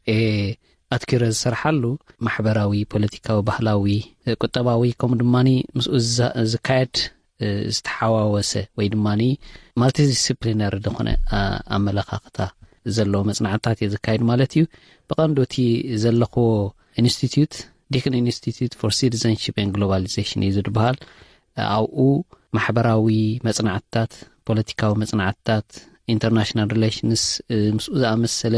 ኣትኪረ ዝሰርሓሉ ማሕበራዊ፣ ፖለቲካዊ፣ ባህላዊ፣ ቁጠባዊ ከምኡ ድማ ምስኡ ዝካየድ ዝተሓዋወሰ ወይ ድማ ማልቲዲስፕሊነሪ ዝኾነ ኣመለኻኽታ ዘለዎ መጽናዕትታት እየ ዝካየድ ማለት እዩ። ብቐንዱ እቲ ዘለኽዎ ኢንስቲትዩት ዲክን ኢንስቲትዩት ፎር ሲቲዘንሺፕ ን ግሎባሊዜሽን እዩ ዝበሃል። ኣብኡ ማሕበራዊ መጽናዕትታት፣ ፖለቲካዊ መጽናዕትታት፣ international relations ምስኡ ዝኣመሰለ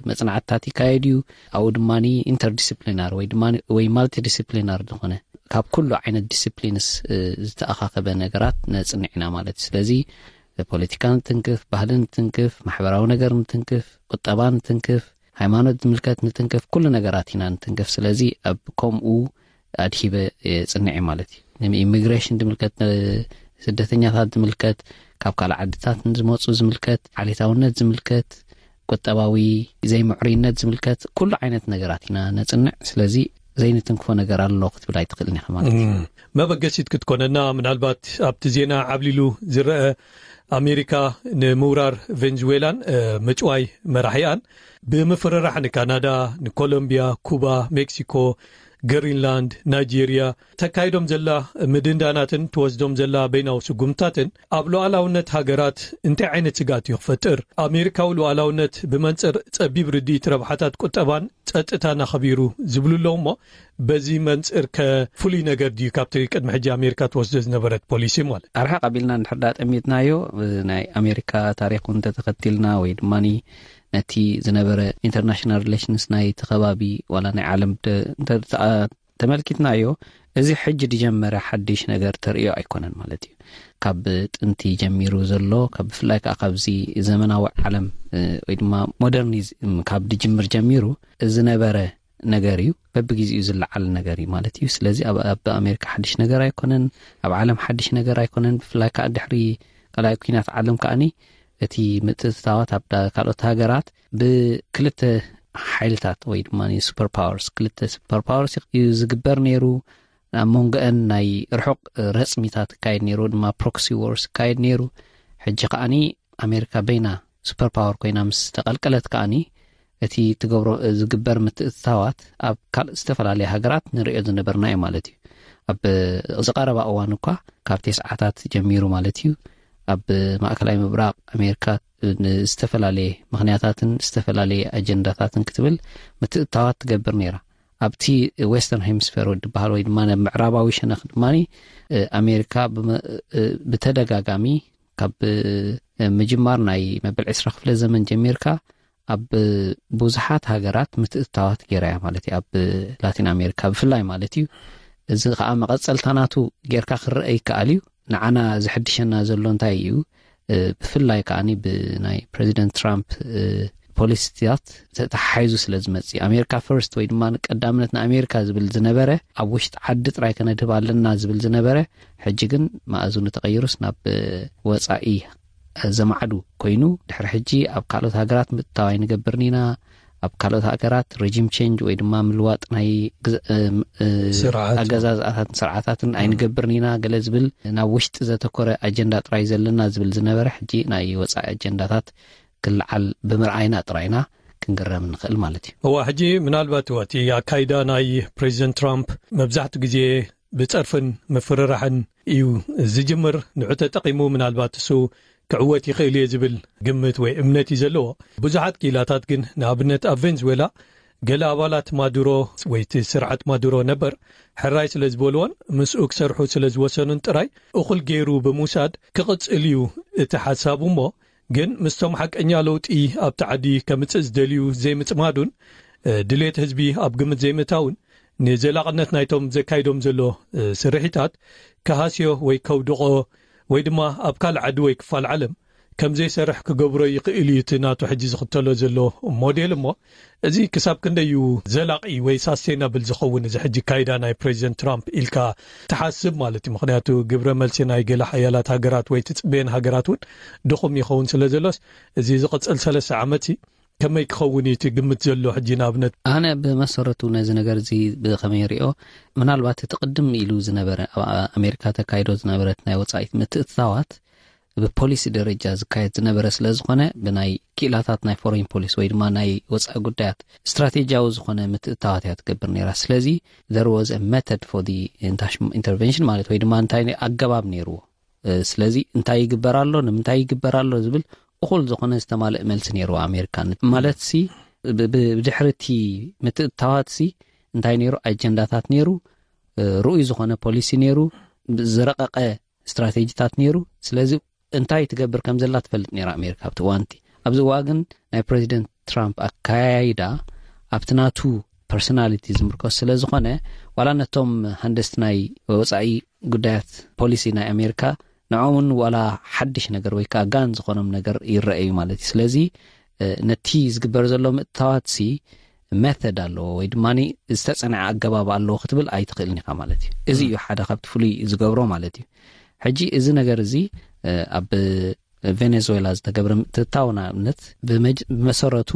መፅናዕትታት ይካየድ እዩ። ኣብኡ ድማ ኢንተርዲስፕሊናር ወይ ድማ ወይ ማልቲዲስፕሊናር ዝኾነ ካብ ኩሉ ዓይነት ዲስፕሊንስ ዝተኣኻኸበ ነገራት ነፅንዕ ኢና ማለት እዩ። ስለዚ ፖለቲካ ንትንክፍ፣ ባህሊ ንትንክፍ፣ ማሕበራዊ ነገር ንትንክፍ፣ ቁጠባ ንትንክፍ፣ ሃይማኖት ዝምልከት ንትንክፍ፣ ኩሉ ነገራት ኢና ንትንክፍ። ስለዚ ኣብ ከምኡ ኣድሂበ የፅንዕ ማለት እዩ። ኢሚግሬሽን ዝምልከት፣ ስደተኛታት ዝምልከት፣ ካብ ካልእ ዓድታት ንዝመፁ ዝምልከት፣ ዓሌታውነት ዝምልከት፣ ቁጠባዊ ዘይምዕሩይነት ዝምልከት ኩሉ ዓይነት ነገራት ኢና ነፅንዕ። ስለዚ ዘይንትንክፎ ነገር ኣሎ ክትብል ኣይትኽእልን ኢኻ ማለት እዩ። መበገሲት ክትኮነና ምናልባት ኣብቲ ዜና ዓብሊሉ ዝረአ ኣሜሪካ ንምውራር ቬንዙዌላን ምጭዋይ መራሒኣን ብምፍርራሕ ንካናዳ፣ ንኮሎምቢያ፣ ኩባ፣ ሜክሲኮ፣ ግሪንላንድ፣ ናይጄርያ ተካይዶም ዘላ ምድንዳናትን ትወስዶም ዘላ በይናዊ ስጉምታትን ኣብ ሉዓላውነት ሃገራት እንታይ ዓይነት ስጋት እዩ ክፈጥር? ኣሜሪካዊ ሉዓላውነት ብመንፅር ፀቢብ ርድኢት ረብሓታት ቁጠባን ጸጥታን ኣኸቢሩ ዝብሉ ኣለዉ እሞ በዚ መንፅር ከፍሉይ ነገር ድዩ ካብቲ ቅድሚ ሕጂ ኣሜሪካ ትወስዶ ዝነበረት ፖሊሲ ማለት? ኣርሓ ቀቢልና እንድሕር ዳ ጠሚትናዮ ናይ ኣሜሪካ ታሪክ እውን ተተኸቲልና ወይ ድማ ነቲ ዝነበረ ኢንተርናሽናል ሪሌሽንስ ናይቲ ከባቢ ዋላ ናይ ዓለም ተመልኪትናዮ እዚ ሕጂ ዝጀመረ ሓድሽ ነገር ተርእዮ ኣይኮነን ማለት እዩ። ካብ ጥንቲ ጀሚሩ ዘሎ ብፍላይ ከዓ ካብዚ ዘመናዊ ዓለም ወይ ድማ ሞደርኒዝም ካብ ድጅምር ጀሚሩ ዝነበረ ነገር እዩ። በብግዜኡ ዝለዓል ነገር እዩ ማለት እዩ። ስለዚ ኣብ ኣሜሪካ ሓድሽ ነገር ኣይኮነን፣ ኣብ ዓለም ሓድሽ ነገር ኣይኮነን። ብፍላይ ከዓ ድሕሪ ካልኣይ ኩናት ዓለም ከዓኒ እቲ ምትእትታዋት ኣብ ካልኦት ሃገራት ብክልተ ሓይልታት ወይ ድማ ሱፐር ፓወርስ ክልተ ሱፐር ፓወርስ እዩ ዝግበር ነይሩ። ኣብ መንጎአን ናይ ርሑቕ ረፅሚታት ይካየድ ነይሩ፣ ድማ ፕሮክሲ ዎርስ ይካየድ ነይሩ። ሕጂ ከዓኒ ኣሜሪካ በይና ሱፐር ፓወር ኮይና ምስ ተቐልቀለት ከዓኒ እቲ ትገብሮ ዝግበር ምትእትታዋት ኣብ ካልእ ዝተፈላለየ ሃገራት ንሪኦ ዝነበርና እዩ ማለት እዩ። ኣብ ዝቐረባ እዋን እኳ ካብ ቴስዓታት ጀሚሩ ማለት እዩ ኣብ ማእከላይ ምብራቕ ኣሜሪካ ዝተፈላለየ ምኽንያታትን ዝተፈላለየ ኣጀንዳታትን ክትብል ምትእትታዋት ትገብር ነይራ። ኣብቲ ዌስተርን ሄምስፌር ዝበሃል ወይ ድማ ምዕራባዊ ሸነኽ ድማ ኣሜሪካ ብተደጋጋሚ ካብ ምጅማር ናይ መበል ዕስራ ክፍለ ዘመን ጀሚርካ ኣብ ብዙሓት ሃገራት ምትእትታዋት ገይራ እያ ማለት እዩ። ኣብ ላቲን ኣሜሪካ ብፍላይ ማለት እዩ። እዚ ከዓ መቐፀልታ ናቱ ጌርካ ክረአ ይከኣል እዩ። ንዓና ዝሕድሸና ዘሎ እንታይ እዩ? ብፍላይ ከዓ ብናይ ፕሬዚደንት ትራምፕ ፖሊሲታት ተተሓሒዙ ስለ ዝመፅእ ኣሜሪካ ፈርስት ወይ ድማ ቀዳምነት ንኣሜሪካ ዝብል ዝነበረ ኣብ ውሽጢ ዓዲ ጥራይ ከነድህብ ኣለና ዝብል ዝነበረ ሕጂ ግን መኣዝኑ ተቐይሩስ ናብ ወፃኢ ዘማዕዱ ኮይኑ ድሕሪ ሕጂ ኣብ ካልኦት ሃገራት ምትእትታው ኣይንገብርን ኢና። ኣብ ካልኦት ሃገራት ሬጂም ቼንጅ ወይ ድማ ምልዋጥ ናይ ኣገዛዝኣታትን ስርዓታትን ኣይንገብርን ኢና ገለ ዝብል ናብ ውሽጢ ዘተኮረ ኣጀንዳ ጥራይ ዘለና ዝብል ዝነበረ ሕጂ ናይ ወፃኢ ኣጀንዳታት ክልዓል ብምርኣይና ጥራይና ክንግረም ንኽእል ማለት እዩ። እዋ ሕጂ ምናልባት እቲ ኣካይዳ ናይ ፕሬዚደንት ትራምፕ መብዛሕትኡ ግዜ ብፀርፍን ምፍርራሕን እዩ ዝጅምር። ንዑ ተጠቒሙ ምናልባት እሱ ክዕወት ይኽእል እየ ዝብል ግምት ወይ እምነት እዩ ዘለዎ። ብዙሓት ክኢላታት ግን ንኣብነት ኣብ ቬንዙዌላ ገለ ኣባላት ማዱሮ ወይ እቲ ስርዓት ማዱሮ ነበር ሕራይ ስለ ዝበልዎን ምስኡ ክሰርሑ ስለ ዝወሰኑን ጥራይ እኹል ገይሩ ብምውሳድ ክቕፅል እዩ እቲ ሓሳቡ እሞ ግን ምስቶም ሓቀኛ ለውጢ ኣብቲ ዓዲ ከምፅእ ዝደልዩ ዘይምፅማዱን ድሌት ህዝቢ ኣብ ግምት ዘይምእታውን ንዘላቕነት ናይቶም ዘካይዶም ዘሎ ስርሒታት ክሃስዮ ወይ ከውድቖ ወይ ድማ ኣብ ካልእ ዓዲ ወይ ክፋል ዓለም ከም ዘይሰርሕ ክገብሮ ይኽእል እዩ እቲ ናቱ ሕጂ ዝኽተሎ ዘሎ ሞዴል እሞ እዚ ክሳብ ክንደይ እዩ ዘላቒ ወይ ሳስቴናብል ዝኸውን እዚ ሕጂ ካይዳ ናይ ፕሬዚደንት ትራምፕ ኢልካ ትሓስብ ማለት እዩ። ምክንያቱ ግብረ መልሲ ናይ ገለ ሓያላት ሃገራት ወይ ትፅበየን ሃገራት እውን ድኹም ይኸውን ስለ ዘሎስ እዚ ዝቕፅል ሰለስተ ዓመት ከመይ ክኸውን እዩ እቲ ግምት ዘሎ ሕጂ ንኣብነት? ኣነ ብመሰረቱ ነዚ ነገር እዚ ብኸመይ ሪኦ ምናልባት እቲ ቅድም ኢሉ ዝነበረ ኣብ ኣሜሪካ ተካይዶ ዝነበረት ናይ ወፃኢት ምትእትታዋት ብፖሊሲ ደረጃ ዝካየድ ዝነበረ ስለ ዝኾነ ብናይ ክኢላታት ናይ ፎሬን ፖሊሲ ወይ ድማ ናይ ወፃኢ ጉዳያት ስትራቴጂያዊ ዝኾነ ምትእትታዋት እያ ትገብር ነይራ። ስለዚ there was a method for the intervention ማለት ወይ ድማ እንታይ ኣገባብ ነይርዎ። ስለዚ እንታይ ይግበር ኣሎ ንምንታይ ይግበር ኣሎ ዝብል እኹል ዝኾነ ዝተማልእ መልሲ ነይርዎ ኣሜሪካ ማለት ሲ ብድሕሪ እቲ ምትእትታዋት ሲ እንታይ ነይሩ ኣጀንዳታት ነይሩ ርኡይ ዝኾነ ፖሊሲ ነይሩ ዝረቐቐ ስትራቴጂታት ነይሩ። ስለዚ እንታይ ትገብር ከም ዘላ ትፈልጥ ነይራ ኣሜሪካ ኣብቲ እዋንቲ። ኣብዚ እዋ ግን ናይ ፕሬዚደንት ትራምፕ ኣካያይዳ ኣብቲ ናቱ ፐርሶናሊቲ ዝምርኮስ ስለ ዝኾነ፣ ዋላ ነቶም ሃንደስቲ ናይ ወፃኢ ጉዳያት ፖሊሲ ናይ ኣሜሪካ፣ ንዖምን ዋላ ሓድሽ ነገር ወይ ከዓ ጋን ዝኾኖም ነገር ይረኣዩ ማለት እዩ። ስለዚ ነቲ ዝግበር ዘሎ ምእታዋት ሲ መተድ ኣለዎ ወይ ድማ ዝተፀንዐ ኣገባብ ኣለዎ ክትብል ኣይትኽእልን ኢኻ ማለት እዩ። እዚ እዩ ሓደ ካብቲ ፍሉይ ዝገብሮ ማለት እዩ። ሕጂ እዚ ነገር እዚ ኣብ ቬኔዙዌላ ዝተገብረ ምትእትታው ንኣብነት ብመሰረቱ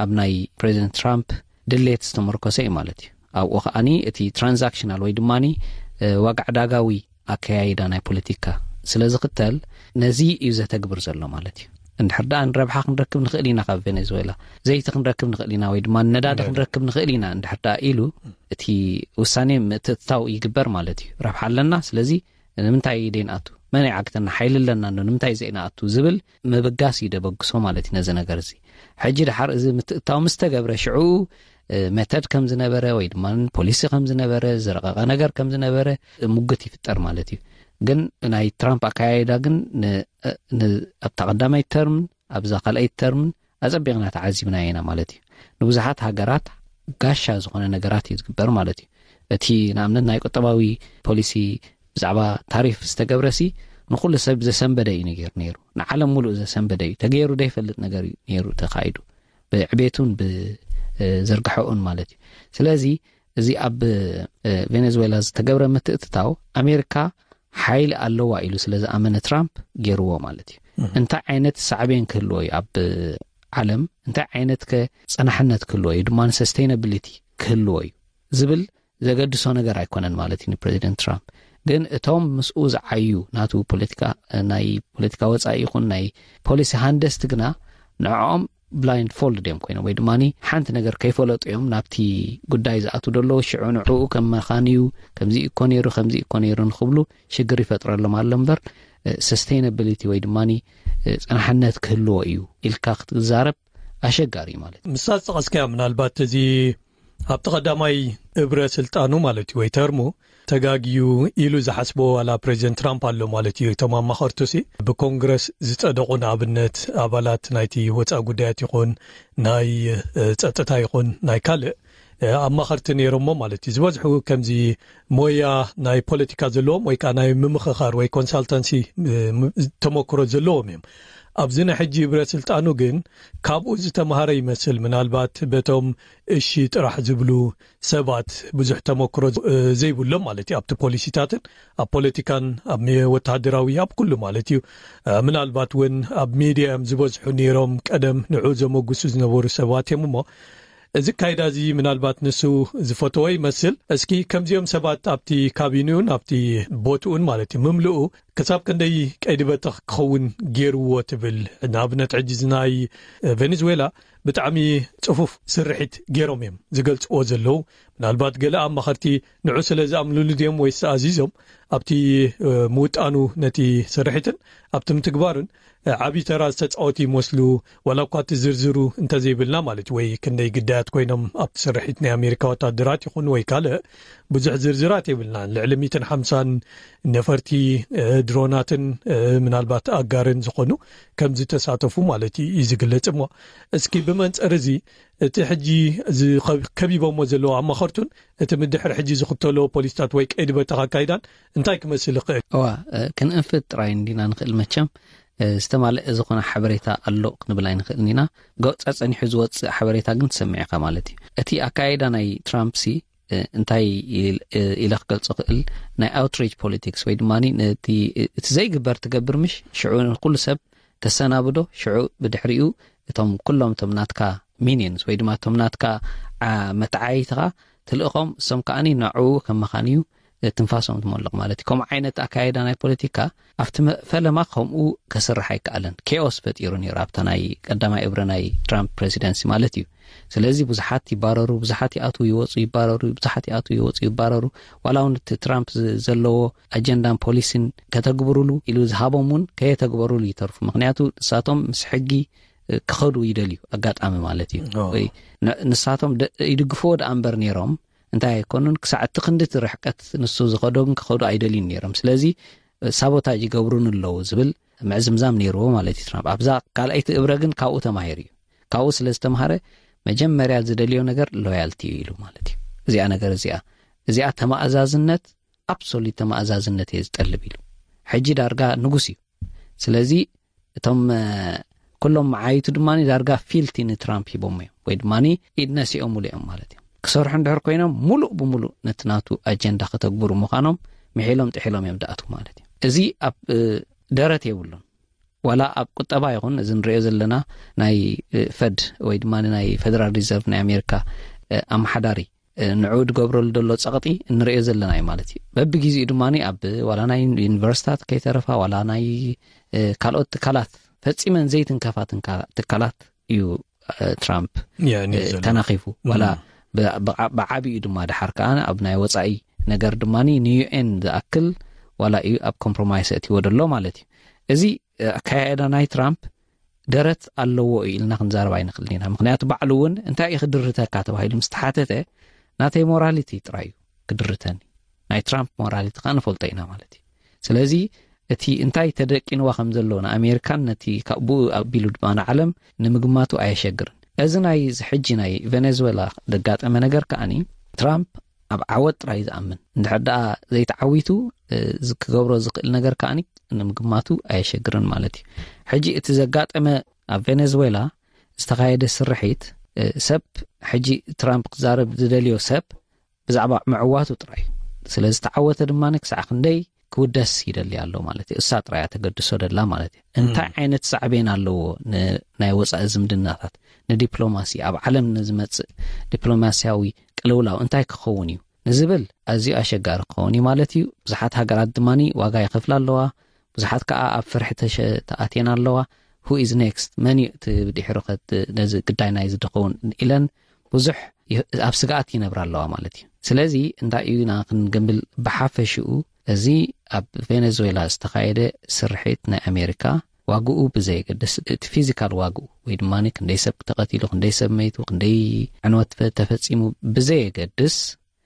ኣብ ናይ ፕሬዚደንት ትራምፕ ድሌት ዝተመርኮሰ እዩ ማለት እዩ። ኣብኡ ከዓኒ እቲ ትራንዛክሽናል ወይ ድማ ዋጋ ዕዳጋዊ ኣከያይዳ ናይ ፖለቲካ ስለ ዝኽተል ነዚ እዩ ዘተግብር ዘሎ ማለት እዩ። እንድሕር ደኣ ንረብሓ ክንረክብ ንኽእል ኢና ካብ ቬኔዙዌላ፣ ዘይቲ ክንረክብ ንኽእል ኢና ወይ ድማ ነዳዲ ክንረክብ ንኽእል ኢና እንድሕር ደኣ ኢሉ እቲ ውሳኔ ምትእትታው ይግበር ማለት እዩ። ረብሓ ኣለና፣ ስለዚ ንምንታይ ደይንኣቱ? መን ይዓግተና? ሓይሊ ኣለና ዶ ንምንታይ ዘይንኣቱ ዝብል ምብጋስ እዩ ደበግሶ ማለት እዩ ነዚ ነገር እዚ። ሕጂ ድሓር እዚ ምትእታው ምስ ተገብረ ሽዑ መተድ ከም ዝነበረ ወይ ድማ ፖሊሲ ከም ዝነበረ ዝረቐቐ ነገር ከም ዝነበረ ሙግት ይፍጠር ማለት እዩ። ግን ናይ ትራምፕ ኣካያይዳ ግን ኣብታ ቀዳማይ ተርምን ኣብዛ ካልኣይ ተርምን ኣጸቢቕና ተዓዚብና ኢና ማለት እዩ። ንብዙሓት ሃገራት ጋሻ ዝኾነ ነገራት እዩ ዝግበር ማለት እዩ። እቲ ንኣብነት ናይ ቁጠባዊ ፖሊሲ ብዛዕባ ታሪፍ ዝተገብረሲ ንኩሉ ሰብ ዘሰንበደ እዩ ነገር ነይሩ። ንዓለም ሙሉእ ዘሰንበደ እዩ። ተገይሩ ዘይፈልጥ ነገር እዩ ነይሩ ተኻይዱ፣ ብዕቤቱን ብዝርግሐኡን ማለት እዩ። ስለዚ እዚ ኣብ ቬኔዙዌላ ዝተገብረ ምትእትታው ኣሜሪካ ሓይሊ ኣለዋ ኢሉ ስለ ዝኣመነ ትራምፕ ገይርዎ ማለት እዩ። እንታይ ዓይነት ሳዕቤን ክህልዎ እዩ ኣብ ዓለም፣ እንታይ ዓይነት ከ ጸናሕነት ክህልዎ እዩ ድማ ሰስቴይናብሊቲ ክህልዎ እዩ ዝብል ዘገድሶ ነገር ኣይኮነን ማለት እዩ ንፕሬዚደንት ትራምፕ። ግን እቶም ምስኡ ዝዓዩ ናቱ ፖለቲካ፣ ናይ ፖለቲካ ወጻኢ ይኹን ናይ ፖሊሲ ሃንደስቲ ግና ንዕኦም ብላይንድ ፎልድ እዮም ኮይኖም ወይ ድማ ሓንቲ ነገር ከይፈለጡ እዮም ናብቲ ጉዳይ ዝኣቱ ደለዉ። ሽዑ ንዕኡ ከም መኻንዩ ከምዚ እኮ ነይሩ ከምዚ እኮ ነይሩ ንክብሉ ሽግር ይፈጥረሎም ኣሎ እምበር ሰስቴይናብሊቲ ወይ ድማ ጸናሕነት ክህልዎ እዩ ኢልካ ክትዛረብ ኣሸጋሪ እዩ ማለት እዩ። ምሳት ጠቐስካያ ምናልባት እዚ ኣብቲ ቀዳማይ እብረ ስልጣኑ ማለት እዩ ወይ ተርሙ ተጋግዩ ኢሉ ዝሓስቦ ዋላ ፕሬዚደንት ትራምፕ ኣሎ ማለት እዩ። እቶም ኣማኸርቱ ሲ ብኮንግረስ ዝጸደቑ ንኣብነት ኣባላት ናይቲ ወፃኢ ጉዳያት ይኹን ናይ ጸጥታ ይኹን ናይ ካልእ ኣማኸርቲ ነይሮሞ ማለት እዩ። ዝበዝሑ ከምዚ ሞያ ናይ ፖለቲካ ዘለዎም ወይ ከዓ ናይ ምምኽኻር ወይ ኮንሳልታንሲ ተመክሮ ዘለዎም እዮም። ኣብዚ ናይ ሕጂ ህብረ ስልጣኑ ግን ካብኡ ዝተምሃረ ይመስል። ምናልባት በቶም እሺ ጥራሕ ዝብሉ ሰባት ብዙሕ ተመክሮ ዘይብሎም ማለት እዩ ኣብቲ ፖሊሲታትን ኣብ ፖለቲካን ኣብ ወተሃደራዊ ኣብ ኩሉ ማለት እዩ። ምናልባት እውን ኣብ ሚድያ እዮም ዝበዝሑ ነይሮም ቀደም ንዑ ዘመጉሱ ዝነበሩ ሰባት እዮም እሞ እዚ ካይዳ እዚ ምናልባት ንሱ ዝፈተዎ ይመስል። እስኪ ከምዚኦም ሰባት ኣብቲ ካቢኒኡን ኣብቲ ቦትኡን ማለት እዩ ምምልኡ ክሳብ ክንደይ ቀይዲ በተኽ ክኸውን ገይርዎ ትብል? ንኣብነት ሕጂ ናይ ቬኔዙዌላ ብጣዕሚ ጽፉፍ ስርሒት ገይሮም እዮም ዝገልጽዎ ዘለዉ። ምናልባት ገለ ኣማኸርቲ ንዑ ስለ ዝኣምኑሉ ድዮም ወይስ ኣዚዞም ኣብቲ ምውጣኑ ነቲ ስርሒትን ኣብቲ ምትግባሩን ዓብዪ ተራ ዝተፃወቱ ይመስሉ። ዋላ እኳ እቲ ዝርዝሩ እንተዘይብልና ማለት ወይ ክንደይ ግዳያት ኮይኖም ኣብቲ ስርሒት ናይ ኣሜሪካ ወታደራት ይኹን ወይ ካልእ ብዙሕ ዝርዝራት የብልናን። ልዕሊ ሚትን ሓምሳን ነፈርቲ ድሮናትን ምናልባት ኣጋርን ዝኾኑ ከም ዝተሳተፉ ማለት እዩ ዝግለጽ። እሞ እስኪ ብመንፅር እዚ እቲ ሕጂ ከቢቦሞ ዘለዉ ኣማኸርቱን እቲ ምድሕር ሕጂ ዝኽተሎ ፖሊስታት ወይ ቀይዲ በተኽ ኣካይዳን እንታይ ክመስል ይኽእል? እዋ ክንእንፍት ጥራይ እንዲና ንኽእል መቸም ዝተማልአ ዝኾነ ሓበሬታ ኣሎ ክንብል ኣይንኽእልን ኢና። ገውፃ ፀኒሑ ዝወፅእ ሓበሬታ ግን ትሰምዕ ኢኻ ማለት እዩ። እቲ ኣካይዳ ናይ ትራምፕ ሲ እንታይ ኢለ ክገልፆ ክእል ናይ ኣውትሪች ፖለቲክስ ወይ ድማ እቲ ዘይግበር ትገብር ምሽ ሽዑ ንኩሉ ሰብ ተሰናብዶ ሽዑ ብድሕሪኡ እቶም ኩሎም እቶም ናትካ ሚኒንስ ወይ ድማ እቶም ናትካ መተዓይትኻ ትልእኾም እሶም ከዓኒ ናዕኡ ከም መኻን እዩ ትንፋሶም ትመልቕ ማለት እዩ። ከምኡ ዓይነት ኣካየዳ ናይ ፖለቲካ ኣብቲ ፈለማ ከምኡ ከስርሕ ኣይከኣለን። ኬኦስ ፈጢሩ ነይሩ ኣብታ ናይ ቀዳማይ እብረ ናይ ትራምፕ ፕሬዚደንሲ ማለት እዩ። ስለዚ ብዙሓት ይባረሩ፣ ብዙሓት ይኣትዉ ይወፁ ይባረሩ፣ ብዙሓት ይኣትዉ ይወፁ ይባረሩ። ዋላ እውን እቲ ትራምፕ ዘለዎ ኣጀንዳን ፖሊሲን ከተግብሩሉ ኢሉ ዝሃቦም እውን ከየተግበሩሉ ይተርፉ። ምክንያቱ ንሳቶም ምስ ሕጊ ክኸዱ ይደልዩ ኣጋጣሚ ማለት እዩ። ወይ ንሳቶም ይድግፍዎ ደኣ እምበር ነይሮም እንታይ ኣይኮኑን። ክሳዕ እቲ ክንዲ እቲ ርሕቀት ንሱ ዝኸዶ ግን ክኸዱ ኣይደልዩን ነይሮም። ስለዚ ሳቦታጅ ይገብሩን ኣለዉ ዝብል ምዕዝምዛም ነይርዎ ማለት እዩ ትራምፕ። ኣብዛ ካልኣይቲ እብረ ግን ካብኡ ተማሂሩ እዩ። ካብኡ ስለ ዝተምሃረ መጀመርያ ዝደልዮ ነገር ሎያልቲ እዩ ኢሉ ማለት እዩ። እዚኣ ነገር እዚኣ፣ እዚኣ ተማእዛዝነት፣ ኣብሶሉት ተማእዛዝነት እየ ዝጠልብ ኢሉ። ሕጂ ዳርጋ ንጉስ እዩ። ስለዚ እቶም ኩሎም መዓይቱ ድማ ዳርጋ ፊልቲ ንትራምፕ ሂቦም እዮም፣ ወይ ድማ ኢድ ነሲኦም ሙሉ እዮም ማለት እዮም። ክሰርሑ እንድሕር ኮይኖም ሙሉእ ብሙሉእ ነቲ ናቱ ኣጀንዳ ከተግብሩ ምዃኖም ምሒሎም ጥሒሎም እዮም ዳኣቱ ማለት እዩ። እዚ ኣብ ደረት የብሉን። ዋላ ኣብ ቁጠባ ይኹን፣ እዚ ንሪኦ ዘለና ናይ ፈድ ወይ ድማ ናይ ፌደራል ሪዘርቭ ናይ ኣሜሪካ ኣመሓዳሪ ንዑ ዝገብረሉ ዘሎ ጸቕጢ እንሪኦ ዘለና እዩ ማለት እዩ። በብግዜኡ ድማ ኣብ ዋላ ናይ ዩኒቨርሲታት ከይተረፋ ዋላ ናይ ካልኦት ትካላት ፈጺመን ዘይትንከፋ ትካላት እዩ ትራምፕ ተናኺፉ። ዋላ ብዓቢኡ ድማ ድሓር ከዓ ኣብ ናይ ወፃኢ ነገር ድማ ንዩኤን ዝኣክል ዋላ እዩ ኣብ ኮምፕሮማይስ እትዎ ደሎ ማለት እዩ። እዚ ኣካያዳ ናይ ትራምፕ ደረት ኣለዎ እዩ ኢልና ክንዛረብ ኣይንኽእልን ኢና። ምክንያቱ ባዕሉ እውን እንታይ እዩ ክድርተካ ተባሂሉ ምስ ተሓተተ፣ ናተይ ሞራሊቲ ጥራይ እዩ ክድርተኒ፣ ናይ ትራምፕ ሞራሊቲ ከዓ ንፈልጦ ኢና ማለት እዩ። ስለዚ እቲ እንታይ ተደቂንዋ ከም ዘሎ ንኣሜሪካን ነቲ ካብኡ ኣቢሉ ድማ ንዓለም ንምግማቱ ኣየሸግርን። እዚ ናይ እዚ ሕጂ ናይ ቬኔዙዌላ ዘጋጠመ ነገር ከዓኒ ትራምፕ ኣብ ዓወት ጥራይ ዝኣምን፣ እንድሕር ደኣ ዘይተዓዊቱ ክገብሮ ዝኽእል ነገር ከዓኒ ንምግማቱ ኣየሸግርን ማለት እዩ። ሕጂ እቲ ዘጋጠመ ኣብ ቬኔዙዌላ ዝተኻየደ ስርሒት ሰብ፣ ሕጂ ትራምፕ ክዛረብ ዝደልዮ ሰብ ብዛዕባ ምዕዋቱ ጥራይ እዩ። ስለ ዝተዓወተ ድማ ክሳዕ ክንደይ ክውደስ ይደሊ ኣሎ ማለት እዩ። እሳ ጥራይ እያ ተገድሶ ደላ ማለት እዩ። እንታይ ዓይነት ሳዕቤን ኣለዎ ንናይ ወፃኢ ዝምድናታት፣ ንዲፕሎማሲ፣ ኣብ ዓለም ንዝመፅእ ዲፕሎማሲያዊ ቅልውላው እንታይ ክኸውን እዩ ንዝብል ኣዝዩ ኣሸጋሪ ክኸውን እዩ ማለት እዩ። ብዙሓት ሃገራት ድማ ዋጋ ይኸፍላ ኣለዋ። ብዙሓት ከዓ ኣብ ፍርሒ ተኣትየን ኣለዋ። Who is next? መን እዩ እቲ ብድሕሩ ነዚ ግዳይ ናይ ዝድኸውን ኢለን ብዙሕ ኣብ ስግኣት ይነብራ ኣለዋ ማለት እዩ። ስለዚ እንታይ እዩ ኢና ክንግምብል ብሓፈሽኡ፣ እዚ ኣብ ቬኔዙዌላ ዝተኻየደ ስርሒት ናይ ኣሜሪካ ዋግኡ ብዘየገድስ፣ እቲ ፊዚካል ዋግኡ ወይ ድማ ክንደይ ሰብ ተቐቲሉ፣ ክንደይ ሰብ መይቱ፣ ክንደይ ዕንወት ተፈፂሙ ብዘየገድስ፣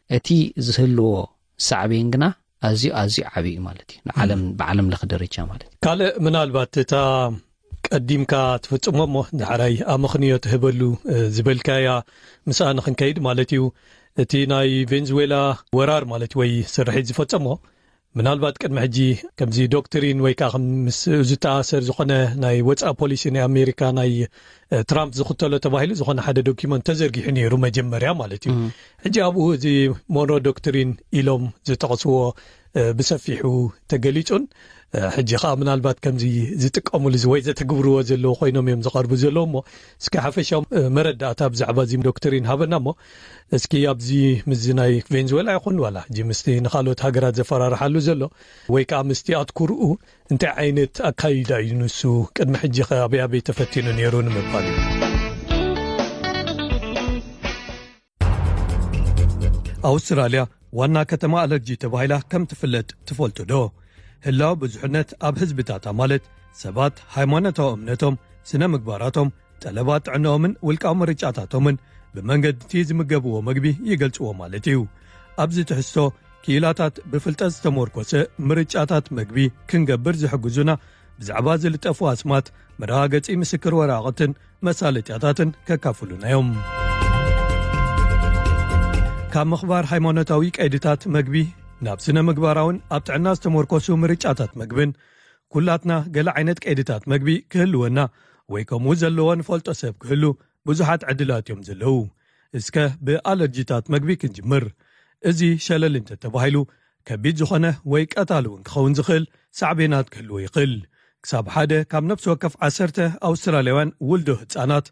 እቲ ዝህልዎ ሳዕቤን ግና ኣዝዩ ኣዝዩ ዓብዪ እዩ ማለት እዩ። ንዓለም ብዓለም ለኸ ደረጃ ማለት እዩ። ካልእ ምናልባት እታ ቀዲምካ ትፍጽሞ እሞ ዳሕራይ ኣመኽንዮ ትህበሉ ዝበልካያ ምስኣ ንኽንከይድ ማለት እዩ። እቲ ናይ ቬንዙዌላ ወራር ማለት ወይ ስርሒት ዝፈጸሞ ምናልባት ቅድሚ ሕጂ ከምዚ ዶክትሪን ወይ ከዓ ምስ ዝተኣሰር ዝኾነ ናይ ወፃኢ ፖሊሲ ናይ ኣሜሪካ ናይ ትራምፕ ዝኽተሎ ተባሂሉ ዝኾነ ሓደ ዶኪመንት ተዘርጊሑ ነይሩ መጀመርያ ማለት እዩ። ሕጂ ኣብኡ እዚ ሞንሮ ዶክትሪን ኢሎም ዝጠቕስዎ ብሰፊሑ ተገሊጹን ሕጂ ከዓ ምናልባት ከምዚ ዝጥቀሙሉ ወይ ዘተግብርዎ ዘለዉ ኮይኖም እዮም ዝቐርቡ ዘለዉ እሞ እስኪ ሓፈሻዊ መረዳእታ ብዛዕባ እዚ ዶክትሪን ሃበና እሞ እስኪ ኣብዚ ምስዚ ናይ ቬንዙዌላ ይኹን ዋላ ሕጂ ምስቲ ንኻልኦት ሃገራት ዘፈራርሓሉ ዘሎ ወይ ከዓ ምስቲ ኣትኩርኡ እንታይ ዓይነት ኣካይዳ እዩ ንሱ ቅድሚ ሕጂ ከ ኣበይ ኣበይ ተፈቲኑ ነይሩ ንምባል እዩ። ኣውስትራልያ ዋና ከተማ ኣለርጂ ተባሂላ ከም ትፍለጥ ትፈልጡ ዶ? ህላው ብዙሕነት ኣብ ህዝብታታ ማለት ሰባት ሃይማኖታዊ እምነቶም፣ ስነ ምግባራቶም፣ ጠለባት ጥዕናኦምን ውልቃዊ ምርጫታቶምን ብመንገዲ እቲ ዝምገብዎ መግቢ ይገልጽዎ ማለት እዩ። ኣብዚ ትሕዝቶ ክኢላታት ብፍልጠት ዝተመርኮሰ ምርጫታት መግቢ ክንገብር ዝሕግዙና ብዛዕባ ዝልጠፉ ኣስማት መረጋገጺ ምስክር ወረቓቕትን መሳለጥያታትን ከካፍሉና እዮም። ካብ ምኽባር ሃይማኖታዊ ቀይድታት መግቢ ናብ ስነ ምግባራውን ኣብ ጥዕና ዝተመርኮሱ ምርጫታት መግብን ኩላትና ገለ ዓይነት ቀይድታት መግቢ ክህልወና ወይ ከምኡ ዘለዎ ንፈልጦ ሰብ ክህሉ ብዙሓት ዕድላት እዮም ዘለዉ። እስከ ብኣለርጂታት መግቢ ክንጅምር። እዚ ሸለል እንተተባሂሉ ከቢድ ዝኾነ ወይ ቀታሊ እውን ክኸውን ዝኽእል ሳዕቤናት ክህልዎ ይኽእል። ክሳብ ሓደ ካብ ነፍሲ ወከፍ ዓሰርተ ኣውስትራልያውያን ውልዶ ህጻናት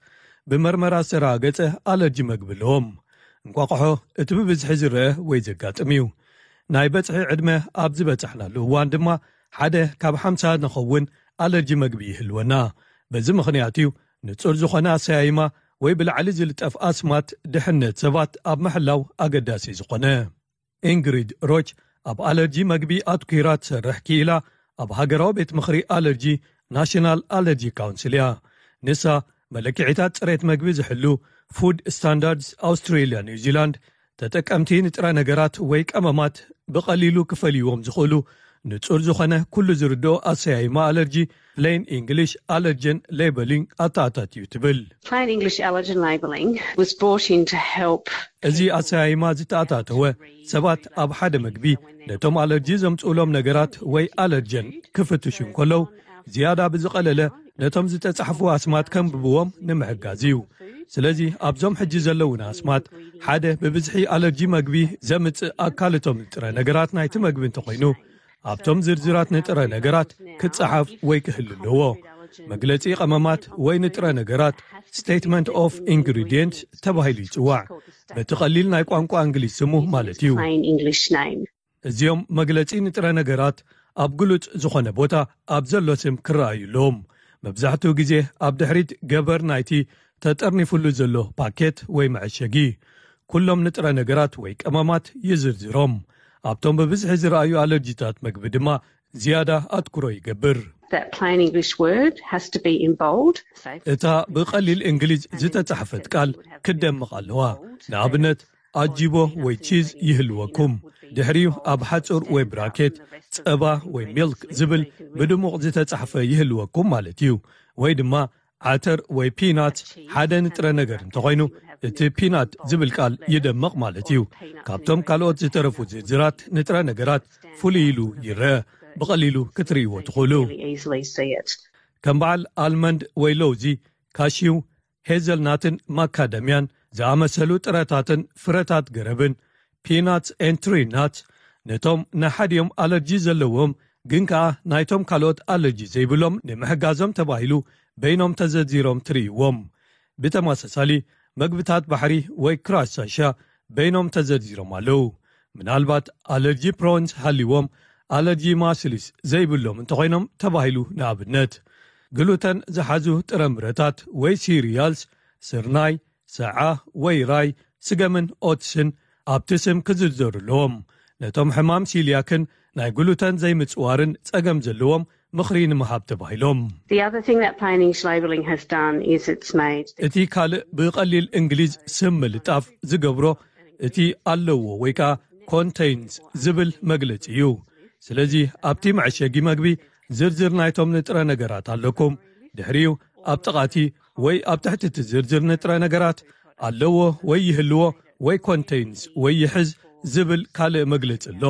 ብመርመራ ዝተረጋገጸ ኣለርጂ መግቢ ኣለዎም። እንቋቑሖ እቲ ብብዝሒ ዝረአ ወይ ዘጋጥም እዩ። ናይ በጽሒ ዕድመ ኣብ ዝበጻሕናሉ እዋን ድማ ሓደ ካብ ሓምሳ ንኸውን ኣለርጂ መግቢ ይህልወና። በዚ ምኽንያት እዩ ንጹር ዝኾነ ኣሰያይማ ወይ ብላዕሊ ዝልጠፍ ኣስማት ድሕነት ሰባት ኣብ ምሕላው ኣገዳሲ ዝኾነ። ኢንግሪድ ሮች ኣብ ኣለርጂ መግቢ ኣትኲራ ትሰርሕ ክኢላ ኣብ ሃገራዊ ቤት ምኽሪ ኣለርጂ ናሽናል ኣለርጂ ካውንስል እያ። ንሳ መለክዒታት ጽሬት መግቢ ዝሕሉ ፉድ ስታንዳርድስ ኣውስትሬልያ ኒውዚላንድ ተጠቀምቲ ንጥረ ነገራት ወይ ቀመማት ብቐሊሉ ክፈልይዎም ዝኽእሉ ንጹር ዝኾነ ኩሉ ዝርድኦ ኣሰያይማ ኣለርጂ plain English allergen labelling ኣተኣታትዩ ትብል። Plain English allergen labelling was brought in to help እዚ ኣሰያይማ ዝተኣታተወ ሰባት ኣብ ሓደ መግቢ ነቶም ኣለርጂ ዘምጽኡሎም ነገራት ወይ ኣለርጀን ክፍትሹ እንከለዉ ዝያዳ ብዝቐለለ ነቶም ዝተጻሕፉ ኣስማት ከንብብዎም ንምሕጋዝ እዩ። ስለዚ ኣብዞም ሕጂ ዘለውና ኣስማት ሓደ ብብዝሒ ኣለርጂ መግቢ ዘምጽእ ኣካልቶም ንጥረ ነገራት ናይቲ መግቢ እንተኾይኑ ኣብቶም ዝርዝራት ንጥረ ነገራት ክጸሓፍ ወይ ክህሉ ኣለዎ። መግለጺ ቀመማት ወይ ንጥረ ነገራት statement of ingredient ተባሂሉ ይጽዋዕ። በቲ ቀሊል ናይ ቋንቋ እንግሊዝ ስሙ ማለት እዩ። Plain English name. እዚኦም መግለጺ ንጥረ ነገራት ኣብ ግሉጽ ዝኾነ ቦታ ኣብ ዘሎ ስም ክረኣዩ ኣለዎም። መብዛሕትኡ ግዜ ኣብ ድሕሪት ገበር ናይቲ ተጠርኒፉሉ ዘሎ ፓኬት ወይ መዐሸጊ ኩሎም ንጥረ ነገራት ወይ ቀመማት ይዝርዝሮም። ኣብቶም ብብዝሒ ዝረኣዩ ኣለርጂታት መግቢ ድማ ዝያዳ ኣትኩሮ ይገብር። That plain English word has to be in bold. እታ ብቐሊል እንግሊዝ ዝተጻሕፈት ቃል ክትደምቕ ኣለዋ። ንኣብነት ኣጂቦ ወይ ቺዝ ይህልወኩም። ድሕሪኡ ኣብ ሓጹር ወይ ብራኬት ጸባ ወይ ሚልክ ዝብል ብድሙቕ ዝተጻሕፈ ይህልወኩም ማለት እዩ። ወይ ድማ ዓተር ወይ ፒናት ሓደ ንጥረ ነገር እንተኾይኑ እቲ ፒናት ዝብል ቃል ይደምቕ ማለት እዩ። ካብቶም ካልኦት ዝተረፉ ዝርዝራት ንጥረ ነገራት ፍሉይ ኢሉ ይረአ። ብቐሊሉ ክትርእይዎ ትኽእሉ። Really easily see it. ከም በዓል ኣልመንድ ወይ ለውዚ፣ ካሽው፣ ሄዘልናትን ማካደምያን ዝኣመሰሉ ጥረታትን ፍረታት ገረብን peanuts and tree nuts ነቶም ንሓዲኦም ኣለርጂ ዘለዎም ግን ከኣ ናይቶም ካልኦት ኣለርጂ ዘይብሎም ንምሕጋዞም ተባሂሉ በይኖም ተዘርዚሮም ትርእይዎም። ብተመሳሳሊ መግብታት ባሕሪ ወይ ክራሽ ሳሻ በይኖም ተዘርዚሮም ኣለዉ። ምናልባት ኣለርጂ ፕሮንስ ሃልይዎም ኣለርጂ ማስሊስ ዘይብሎም እንተኾይኖም ተባሂሉ። ንኣብነት ግሉተን ዝሓዙ ጥረምረታት ወይ ሲሪያልስ፣ ስርናይ፣ ሰዓ ወይ ራይ፣ ስገምን ኦትስን ኣብቲ ስም ክዝርዘሩ ኣለዎም። ነቶም ሕማም ሲልያክን ናይ ግሉተን ዘይምጽዋርን ጸገም ዘለዎም ምኽሪ ንምሃብ ተባሂሎም። The other thing that plain English labelling has done is it's made እቲ ካልእ ብቐሊል እንግሊዝ ስም ምልጣፍ ዝገብሮ እቲ ኣለዎ ወይ ከኣ ኮንቴይንስ ዝብል መግለጺ እዩ። ስለዚ ኣብቲ መዐሸጊ መግቢ ዝርዝር ናይቶም ንጥረ ነገራት ኣለኩም። ድሕሪኡ ኣብ ጥቓቲ ወይ ኣብ ትሕቲ እቲ ዝርዝር ንጥረ ነገራት ኣለዎ ወይ ይህልዎ ወይ ኮንቴይንስ ወይ ይሕዝ ዝብል ካልእ መግለጺ ኣሎ።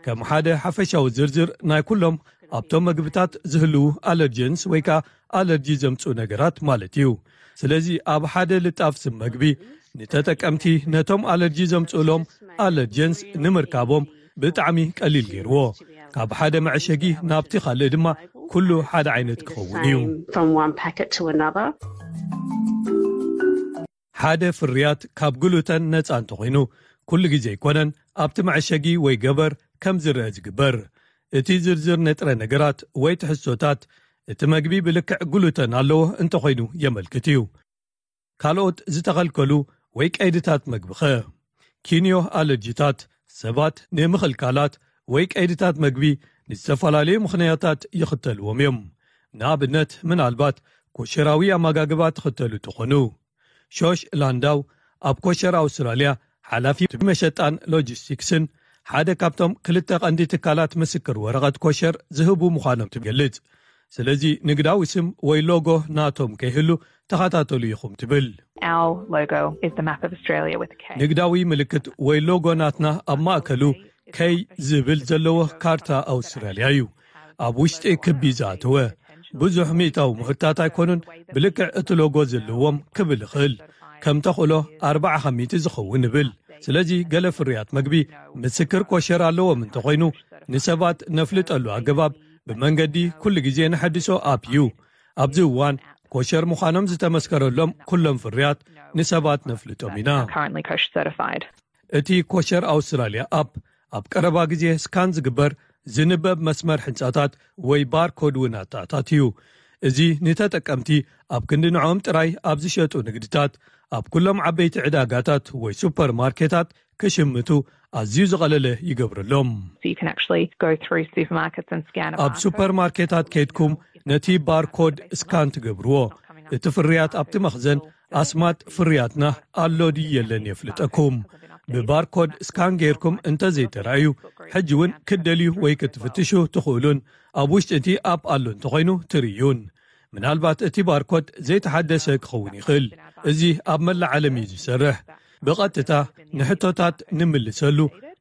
ከም ሓደ ሓፈሻዊ ዝርዝር ናይ ኩሎም ኣብቶም መግብታት ዝህልዉ ኣለርጀንስ ወይ ከኣ ኣለርጂ ዘምጽኡ ነገራት ማለት እዩ። ስለዚ ኣብ ሓደ ልጣፍ ስም መግቢ ንተጠቀምቲ ነቶም ኣለርጂ ዘምጽኡሎም ኣለርጀንስ ንምርካቦም ብጣዕሚ ቀሊል ገይርዎ። ካብ ሓደ መዐሸጊ ናብቲ ካልእ ድማ ኩሉ ሓደ ዓይነት ክኸውን እዩ። From one packet to another. ሓደ ፍርያት ካብ ግሉተን ነጻ እንተኾይኑ ኩሉ ግዜ ኣይኮነን ኣብቲ መዐሸጊ ወይ ገበር ከም ዝረአ ዝግበር። እቲ ዝርዝር ንጥረ ነገራት ወይ ትሕዝቶታት እቲ መግቢ ብልክዕ ግሉተን ኣለዎ እንተኾይኑ የመልክት እዩ። ካልኦት ዝተኸልከሉ ወይ ቀይድታት መግቢ ኸ? ኪንዮ ኣለርጂታት ሰባት ንምኽልካላት ወይ ቀይድታት መግቢ ንዝተፈላለዩ ምኽንያታት ይኽተልዎም እዮም። ንኣብነት ምናልባት ኮሸራዊ ኣመጋግባ ትኽተሉ ትኾኑ። ሾሽ ላንዳው ኣብ ኮሸር ኣውስትራልያ ሓላፊ መሸጣን ሎጂስቲክስን ሓደ ካብቶም ክልተ ቀንዲ ትካላት ምስክር ወረቐት ኮሸር ዝህቡ ምዃኖም ትገልጽ። ስለዚ ንግዳዊ ስም ወይ ሎጎ ናቶም ከይህሉ ተኸታተሉ ኢኹም ትብል። Our logo is the map of Australia with a K. ንግዳዊ ምልክት ወይ ሎጎ ናትና ኣብ ማእከሉ ከይ ዝብል ዘለዎ ካርታ ኣውስትራልያ እዩ። ኣብ ውሽጢ ክቢ ዝኣተወ ብዙሕ ሚእታዊ ምህርታት ኣይኮኑን ብልክዕ እቲ ሎጎ ዘለዎም ክብል ይኽእል። ከም ተኽእሎ ኣርባዓ ከሚቲ ዝኸውን ይብል። ስለዚ ገለ ፍርያት መግቢ ምስክር ኮሸር ኣለዎም እንተኾይኑ ንሰባት ነፍልጠሉ ኣገባብ ብመንገዲ ኩሉ ግዜ ንሐድሶ ኣፕ እዩ። ኣብዚ እዋን ኮሸር ምዃኖም ዝተመስከረሎም ኩሎም ፍርያት ንሰባት ነፍልጦም ኢና። Currently kosher certified. እቲ ኮሸር ኣውስትራልያ ኣፕ ኣብ ቀረባ ግዜ ስካን ዝግበር ዝንበብ መስመር ሕንጻታት ወይ ባርኮድ እውን ኣተኣታትዩ። እዚ ንተጠቀምቲ ኣብ ክንዲ ንዕኦም ጥራይ ኣብ ዝሸጡ ንግድታት ኣብ ኩሎም ዓበይቲ ዕዳጋታት ወይ ሱፐርማርኬታት ክሽምቱ ኣዝዩ ዝቐለለ ይገብረሎም። So you can actually go through supermarkets and scan a ኣብ barcode. ሱፐርማርኬታት ከይድኩም ነቲ ባርኮድ ስካን ትገብርዎ። እቲ ፍርያት ኣብቲ መኽዘን ኣስማት ፍርያትና ኣሎ ድዩ የለን የፍልጠኩም። ብባርኮድ ስካን ጌርኩም እንተዘይተራእዩ፣ ሕጂ እውን ክትደልዩ ወይ ክትፍትሹ ትኽእሉን ኣብ ውሽጢ እቲ ኣፕ ኣሎ እንተኾይኑ ትርእዩን። ምናልባት እቲ ባርኮድ ዘይተሓደሰ ክኸውን ይኽእል። እዚ ኣብ መላእ ዓለም እዩ ዝሰርሕ። ብቐጥታ ንሕቶታት ንምልሰሉ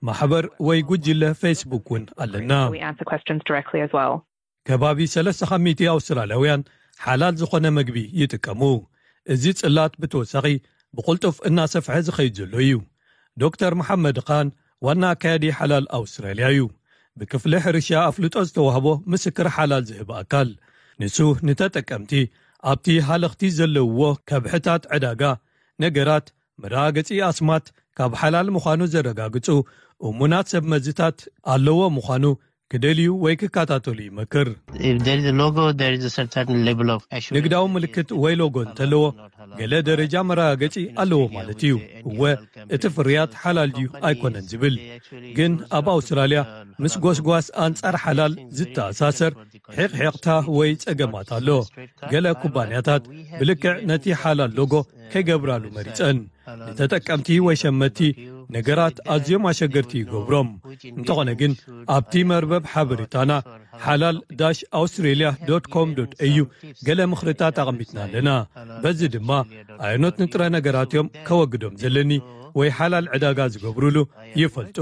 ማሕበር ወይ ጉጅለ ፌስቡክ እውን ኣለና። We answer questions directly as well. ከባቢ ሰለስተ ካብ ሚእቲ ኣውስትራልያውያን ሓላል ዝኾነ መግቢ ይጥቀሙ። እዚ ጽላት ብተወሳኺ ብቕልጡፍ እናሰፍሐ ዝኸይድ ዘሎ እዩ። ዶክተር መሓመድ ኻን ዋና ኣካያዲ ሓላል ኣውስትራልያ እዩ። ብክፍሊ ሕርሻ ኣፍልጦ ዝተዋህቦ ምስክር ሓላል ዝህብ ኣካል። ንሱ ንተጠቀምቲ ኣብቲ ሃለኽቲ ዘለውዎ ከብሕታት ዕዳጋ ነገራት መረጋገጺ ኣስማት ካብ ሓላል ምዃኑ ዘረጋግጹ እሙናት ሰብ መዝታት ኣለዎ ምዃኑ ክደልዩ ወይ ክከታተሉ ይመክር። If there is a logo, there is a certain level of assurance. ንግዳዊ ምልክት ወይ ሎጎ እንተለዎ ገለ ደረጃ መረጋገጺ ኣለዎ ማለት እዩ። እወ፣ እቲ ፍርያት ሓላል ድዩ ኣይኮነን ዝብል። ግን ኣብ ኣውስትራልያ ምስ ጎስጓስ ኣንጻር ሓላል ዝተኣሳሰር ሕቕሕቕታ ወይ ጸገማት ኣሎ። ገለ ኩባንያታት ብልክዕ ነቲ ሓላል ሎጎ ከይገብራሉ መሪጸን። ንተጠቀምቲ ወይ ሸመቲ ነገራት ኣዝዮም ኣሸገርቲ ይገብሮም። እንተኾነ ግን ኣብቲ መርበብ ሓበሬታና ሓላል ዳሽ ኣውስትሬልያ ዶት ኮም ዶት ኤዩ ገለ ምኽርታት ኣቐሚጥና ኣለና። በዚ ድማ ኣየኖት ንጥረ ነገራት እዮም ከወግዶም ዘለኒ ወይ ሓላል ዕዳጋ ዝገብሩሉ ይፈልጡ።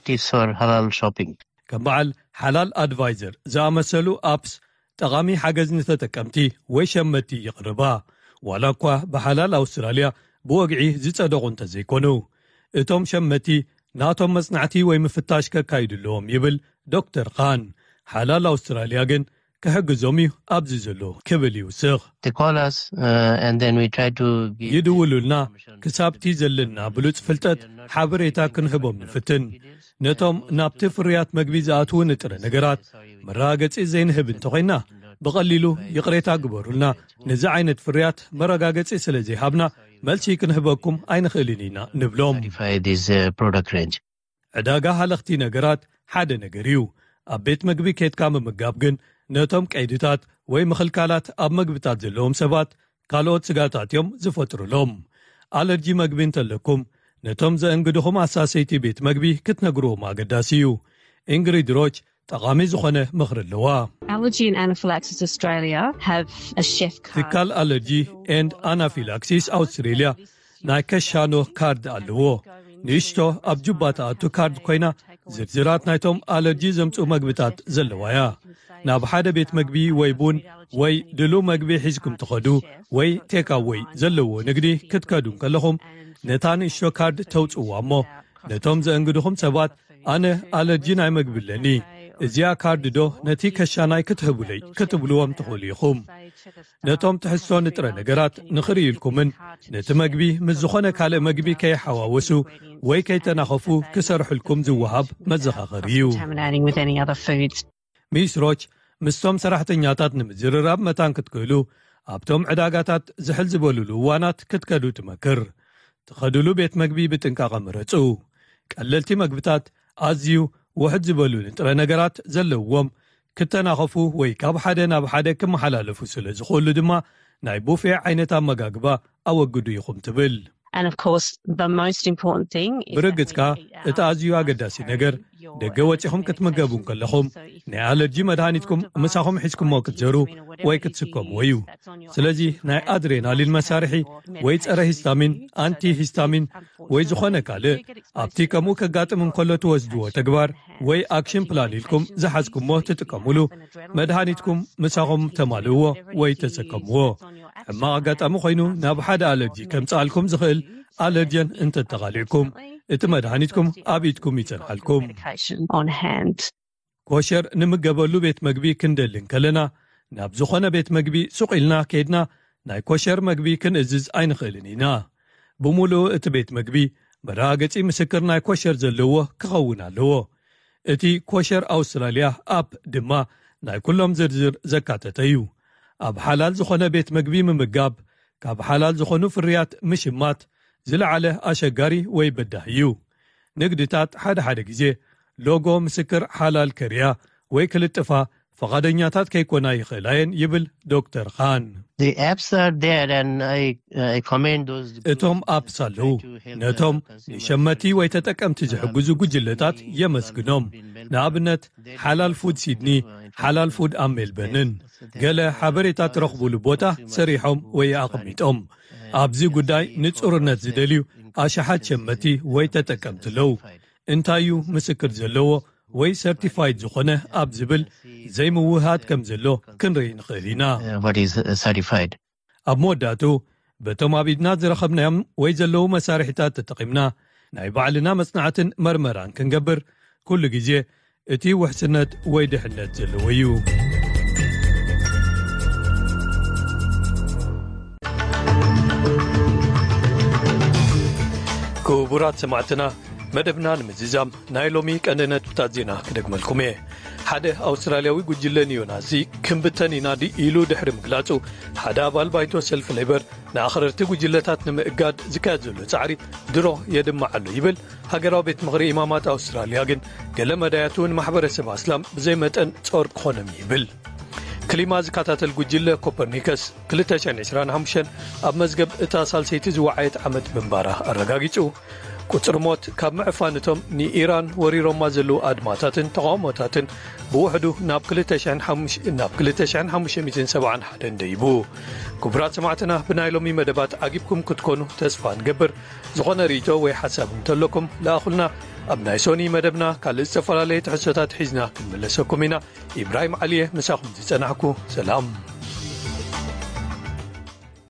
Tips for halal shopping. ከም በዓል ሓላል ኣድቫይዘር ዝኣመሰሉ ኣፕስ ጠቓሚ ሓገዝ ንተጠቀምቲ ወይ ሸመቲ ይቕርባ። ዋላ እኳ ብሓላል ኣውስትራልያ ብወግዒ ዝጸደቑ እንተዘይኮኑ፣ እቶም ሸመቲ ናቶም መጽናዕቲ ወይ ምፍታሽ ከካይዱ ኣለዎም ይብል ዶክተር ኻን። ሓላል ኣውስትራልያ ግን ክሕግዞም እዩ ኣብዚ ዘሎ ክብል ይውስኽ። They call us uh, and then we try to give ይድውሉልና ክሳብቲ ዘለና ብሉጽ ፍልጠት ሓበሬታ ክንህቦም ንፍትን። ነቶም ናብቲ ፍርያት መግቢ ዝኣትዉ ንጥረ ነገራት መረጋገጺ ዘይንህብ እንተኾይና ብቐሊሉ ይቕሬታ ግበሩልና፣ ነዚ ዓይነት ፍርያት መረጋገጺ ስለ ዘይሃብና መልሲ ክንህበኩም ኣይንኽእልን ኢና ንብሎም። Certify this uh, product range. ዕዳጋ ሃለኽቲ ነገራት ሓደ ነገር እዩ። ኣብ ቤት መግቢ ኬድካ ምምጋብ ግን ነቶም ቀይድታት ወይ ምኽልካላት ኣብ መግብታት ዘለዎም ሰባት ካልኦት ስጋታት እዮም ዝፈጥሩሎም። ኣለርጂ መግቢ እንተለኩም ነቶም ዘእንግድኹም ኣሳሰይቲ ቤት መግቢ ክትነግርዎም ኣገዳሲ እዩ። ኢንግሪድ ሮች ጠቓሚ ዝኾነ ምኽሪ ኣለዋ። Allergy and Anaphylaxis Australia have a chef card. ትካል ኣለርጂ ኤንድ ኣናፊላክሲስ ኣውስትሬልያ ናይ ከሻኖ ካርድ ኣለዎ። ንእሽቶ ኣብ ጁባ ትኣቱ ካርድ ኮይና ዝርዝራት ናይቶም ኣለርጂ ዘምፅኡ መግብታት ዘለዋ እያ። ናብ ሓደ ቤት መግቢ ወይ ቡን ወይ ድሉ መግቢ ሒዝኩም ትኸዱ ወይ ቴካወይ ዘለዎ ንግዲ ክትከዱ እንከለኹም ነታ ንእሽቶ ካርድ ተውፅዋ እሞ ነቶም ዘእንግድኹም ሰባት ኣነ ኣለርጂ ናይ መግቢ ኣለኒ፣ እዚኣ ካርድ ዶ ነቲ ከሻናይ ክትህቡለይ ክትብልዎም ትኽእሉ ኢኹም። ነቶም ትሕዝቶ ንጥረ ነገራት ንኽርእዩልኩምን ነቲ መግቢ ምስ ዝኾነ ካልእ መግቢ ከይሓዋወሱ ወይ ከይተናኸፉ ክሰርሑልኩም ዝወሃብ መዘኻኸሪ እዩ። Contaminating with any other foods. ሚስ ሮች ምስቶም ሰራሕተኛታት ንምዝርራብ መታን ክትክእሉ ኣብቶም ዕዳጋታት ዝሕል ዝበሉሉ እዋናት ክትከዱ ትመክር። ትኸዱሉ ቤት መግቢ ብጥንቃቐ ምረጹ። ቀለልቲ መግብታት ኣዝዩ ውሕድ ዝበሉ ንጥረ ነገራት ዘለውዎም ክተናኸፉ ወይ ካብ ሓደ ናብ ሓደ ክመሓላለፉ ስለ ዝኽእሉ ድማ ናይ ቡፌ ዓይነት ኣመጋግባ ኣወግዱ ኢኹም ትብል። And of course, the most important thing is that ብርግጽካ when you eat out, እቲ ኣዝዩ ኣገዳሲ ነገር ደገ ወጺኹም ክትምገቡ እንከለኹም ናይ ኣለርጂ መድሃኒትኩም ምሳኹም ሒዝኩሞ ክትዘሩ ወይ ክትስከምዎ እዩ። ስለዚ ናይ ኣድሬናሊን መሳርሒ ወይ ጸረ ሂስታሚን፣ ኣንቲ ሂስታሚን ወይ ዝኾነ ካልእ ኣብቲ ከምኡ ከጋጥም እንከሎ ትወስድዎ ተግባር ወይ ኣክሽን ፕላን ኢልኩም ዝሓዝኩሞ ትጥቀሙሉ መድሃኒትኩም ምሳኹም ተማልእዎ ወይ ተሰከምዎ። ሕማቕ ኣጋጣሚ ኮይኑ ናብ ሓደ ኣለርጂ ከምጽኣልኩም ዝኽእል ኣለርጀን እንተተቓሊዕኩም እቲ መድሃኒትኩም ኣብ ኢድኩም ይጸንሓልኩም። Medication on hand. ኮሸር ንምገበሉ ቤት መግቢ ክንደሊ እንከለና ናብ ዝኾነ ቤት መግቢ ሱቕ ኢልና ከይድና ናይ ኮሸር መግቢ ክንእዝዝ ኣይንኽእልን ኢና። ብምሉኡ እቲ ቤት መግቢ መረጋገጺ ምስክር ናይ ኮሸር ዘለዎ ክኸውን ኣለዎ። እቲ ኮሸር ኣውስትራልያ ኣፕ ድማ ናይ ኩሎም ዝርዝር ዘካተተ እዩ። ኣብ ሓላል ዝኾነ ቤት መግቢ ምምጋብ ካብ ሓላል ዝኾኑ ፍርያት ምሽማት ዝለዓለ ኣሸጋሪ ወይ በዳሂ እዩ። ንግድታት ሓደ ሓደ ግዜ ሎጎ ምስክር ሓላል ከርእያ ወይ ክልጥፋ ፈቓደኛታት ከይኮና ይኽእላ እየን ይብል ዶክተር ኻን። The apps are there and I, I commend those. እቶም ኣፕስ ኣለዉ። ነቶም ንሸመቲ ወይ ተጠቀምቲ ዝሕግዙ ጉጅለታት የመስግኖም። ንኣብነት ሓላል ፉድ ሲድኒ፣ ሓላል ፉድ ኣብ ሜልበርንን ገለ ሓበሬታ ትረኽቡሉ ቦታ ሰሪሖም ወይ ኣቐሚጦም። ኣብዚ ጉዳይ ንጹርነት ዝደልዩ ኣሽሓት ሸመቲ ወይ ተጠቀምቲ ኣለዉ። እንታይ እዩ ምስክር ዘለዎ ወይ ሰርቲፋይድ ዝኾነ ኣብ ዝብል ዘይምውህሃድ ከም ዘሎ ክንርኢ ንኽእል ኢና። Uh, what is uh, certified? ኣብ መወዳእቱ በቶም ኣብ ኢድና ዝረኸብናዮም ወይ ዘለዉ መሳርሒታት ተጠቒምና ናይ ባዕልና መጽናዕትን መርመራን ክንገብር ኩሉ ግዜ እቲ ውሕስነት ወይ ድሕነት ዘለዎ እዩ። ክቡራት ሰማዕትና፣ መደብና ንምዝዛም ናይ ሎሚ ቀንዲ ነጥብታት ዜና ክደግመልኩም እየ። ሓደ ኣውስትራልያዊ ጉጅለ ኒዮናዚ ክንብተን ኢና ዲ ኢሉ ድሕሪ ምግላጹ፣ ሓደ ኣባል ባይቶ ሰልፊ ሌበር ንኣኽረርቲ ጉጅለታት ንምእጋድ ዝካየድ ዘሎ ጻዕሪ ድሮ የድምዕ ኣሎ ይብል ሃገራዊ ቤት ምኽሪ ኢማማት ኣውስትራልያ። ግን ገለ መዳያት እውን ማሕበረሰብ ኣስላም ብዘይ መጠን ጾር ክኾኖም ይብል። ክሊማ ዝከታተል ጉጅለ ኮፐርኒከስ ክልተ ሽሕን ዕስራን ሓሙሽተን ኣብ መዝገብ እታ ሳልሰይቲ ዝወዓየት ዓመት ምንባራ ኣረጋጊጹ። ቁጽሪ ሞት ካብ ምዕፋን እቶም ንኢራን ወሪሮማ ዘለዉ ኣድማታትን ተቓውሞታትን ብውሕዱ ናብ ክልተ ሽሕን ሓሙሽተ፣ ናብ ክልተ ሽሕን ሓሙሽተ ሚእትን ሰብዓን ሓደን ደይቡ። ክቡራት ሰማዕትና፣ ብናይ ሎሚ መደባት ዓጊብኩም ክትኮኑ ተስፋ ንገብር። ዝኾነ ርእይቶ ወይ ሓሳብ እንተለኩም ለኣኹልና። ኣብ ናይ ሶኒ መደብና ካልእ ዝተፈላለየ ትሕዝቶታት ሒዝና ክንምለሰኩም ኢና። ኢብራሂም ዓሊየ ምሳኹም ዝጸናሕኩ። ሰላም።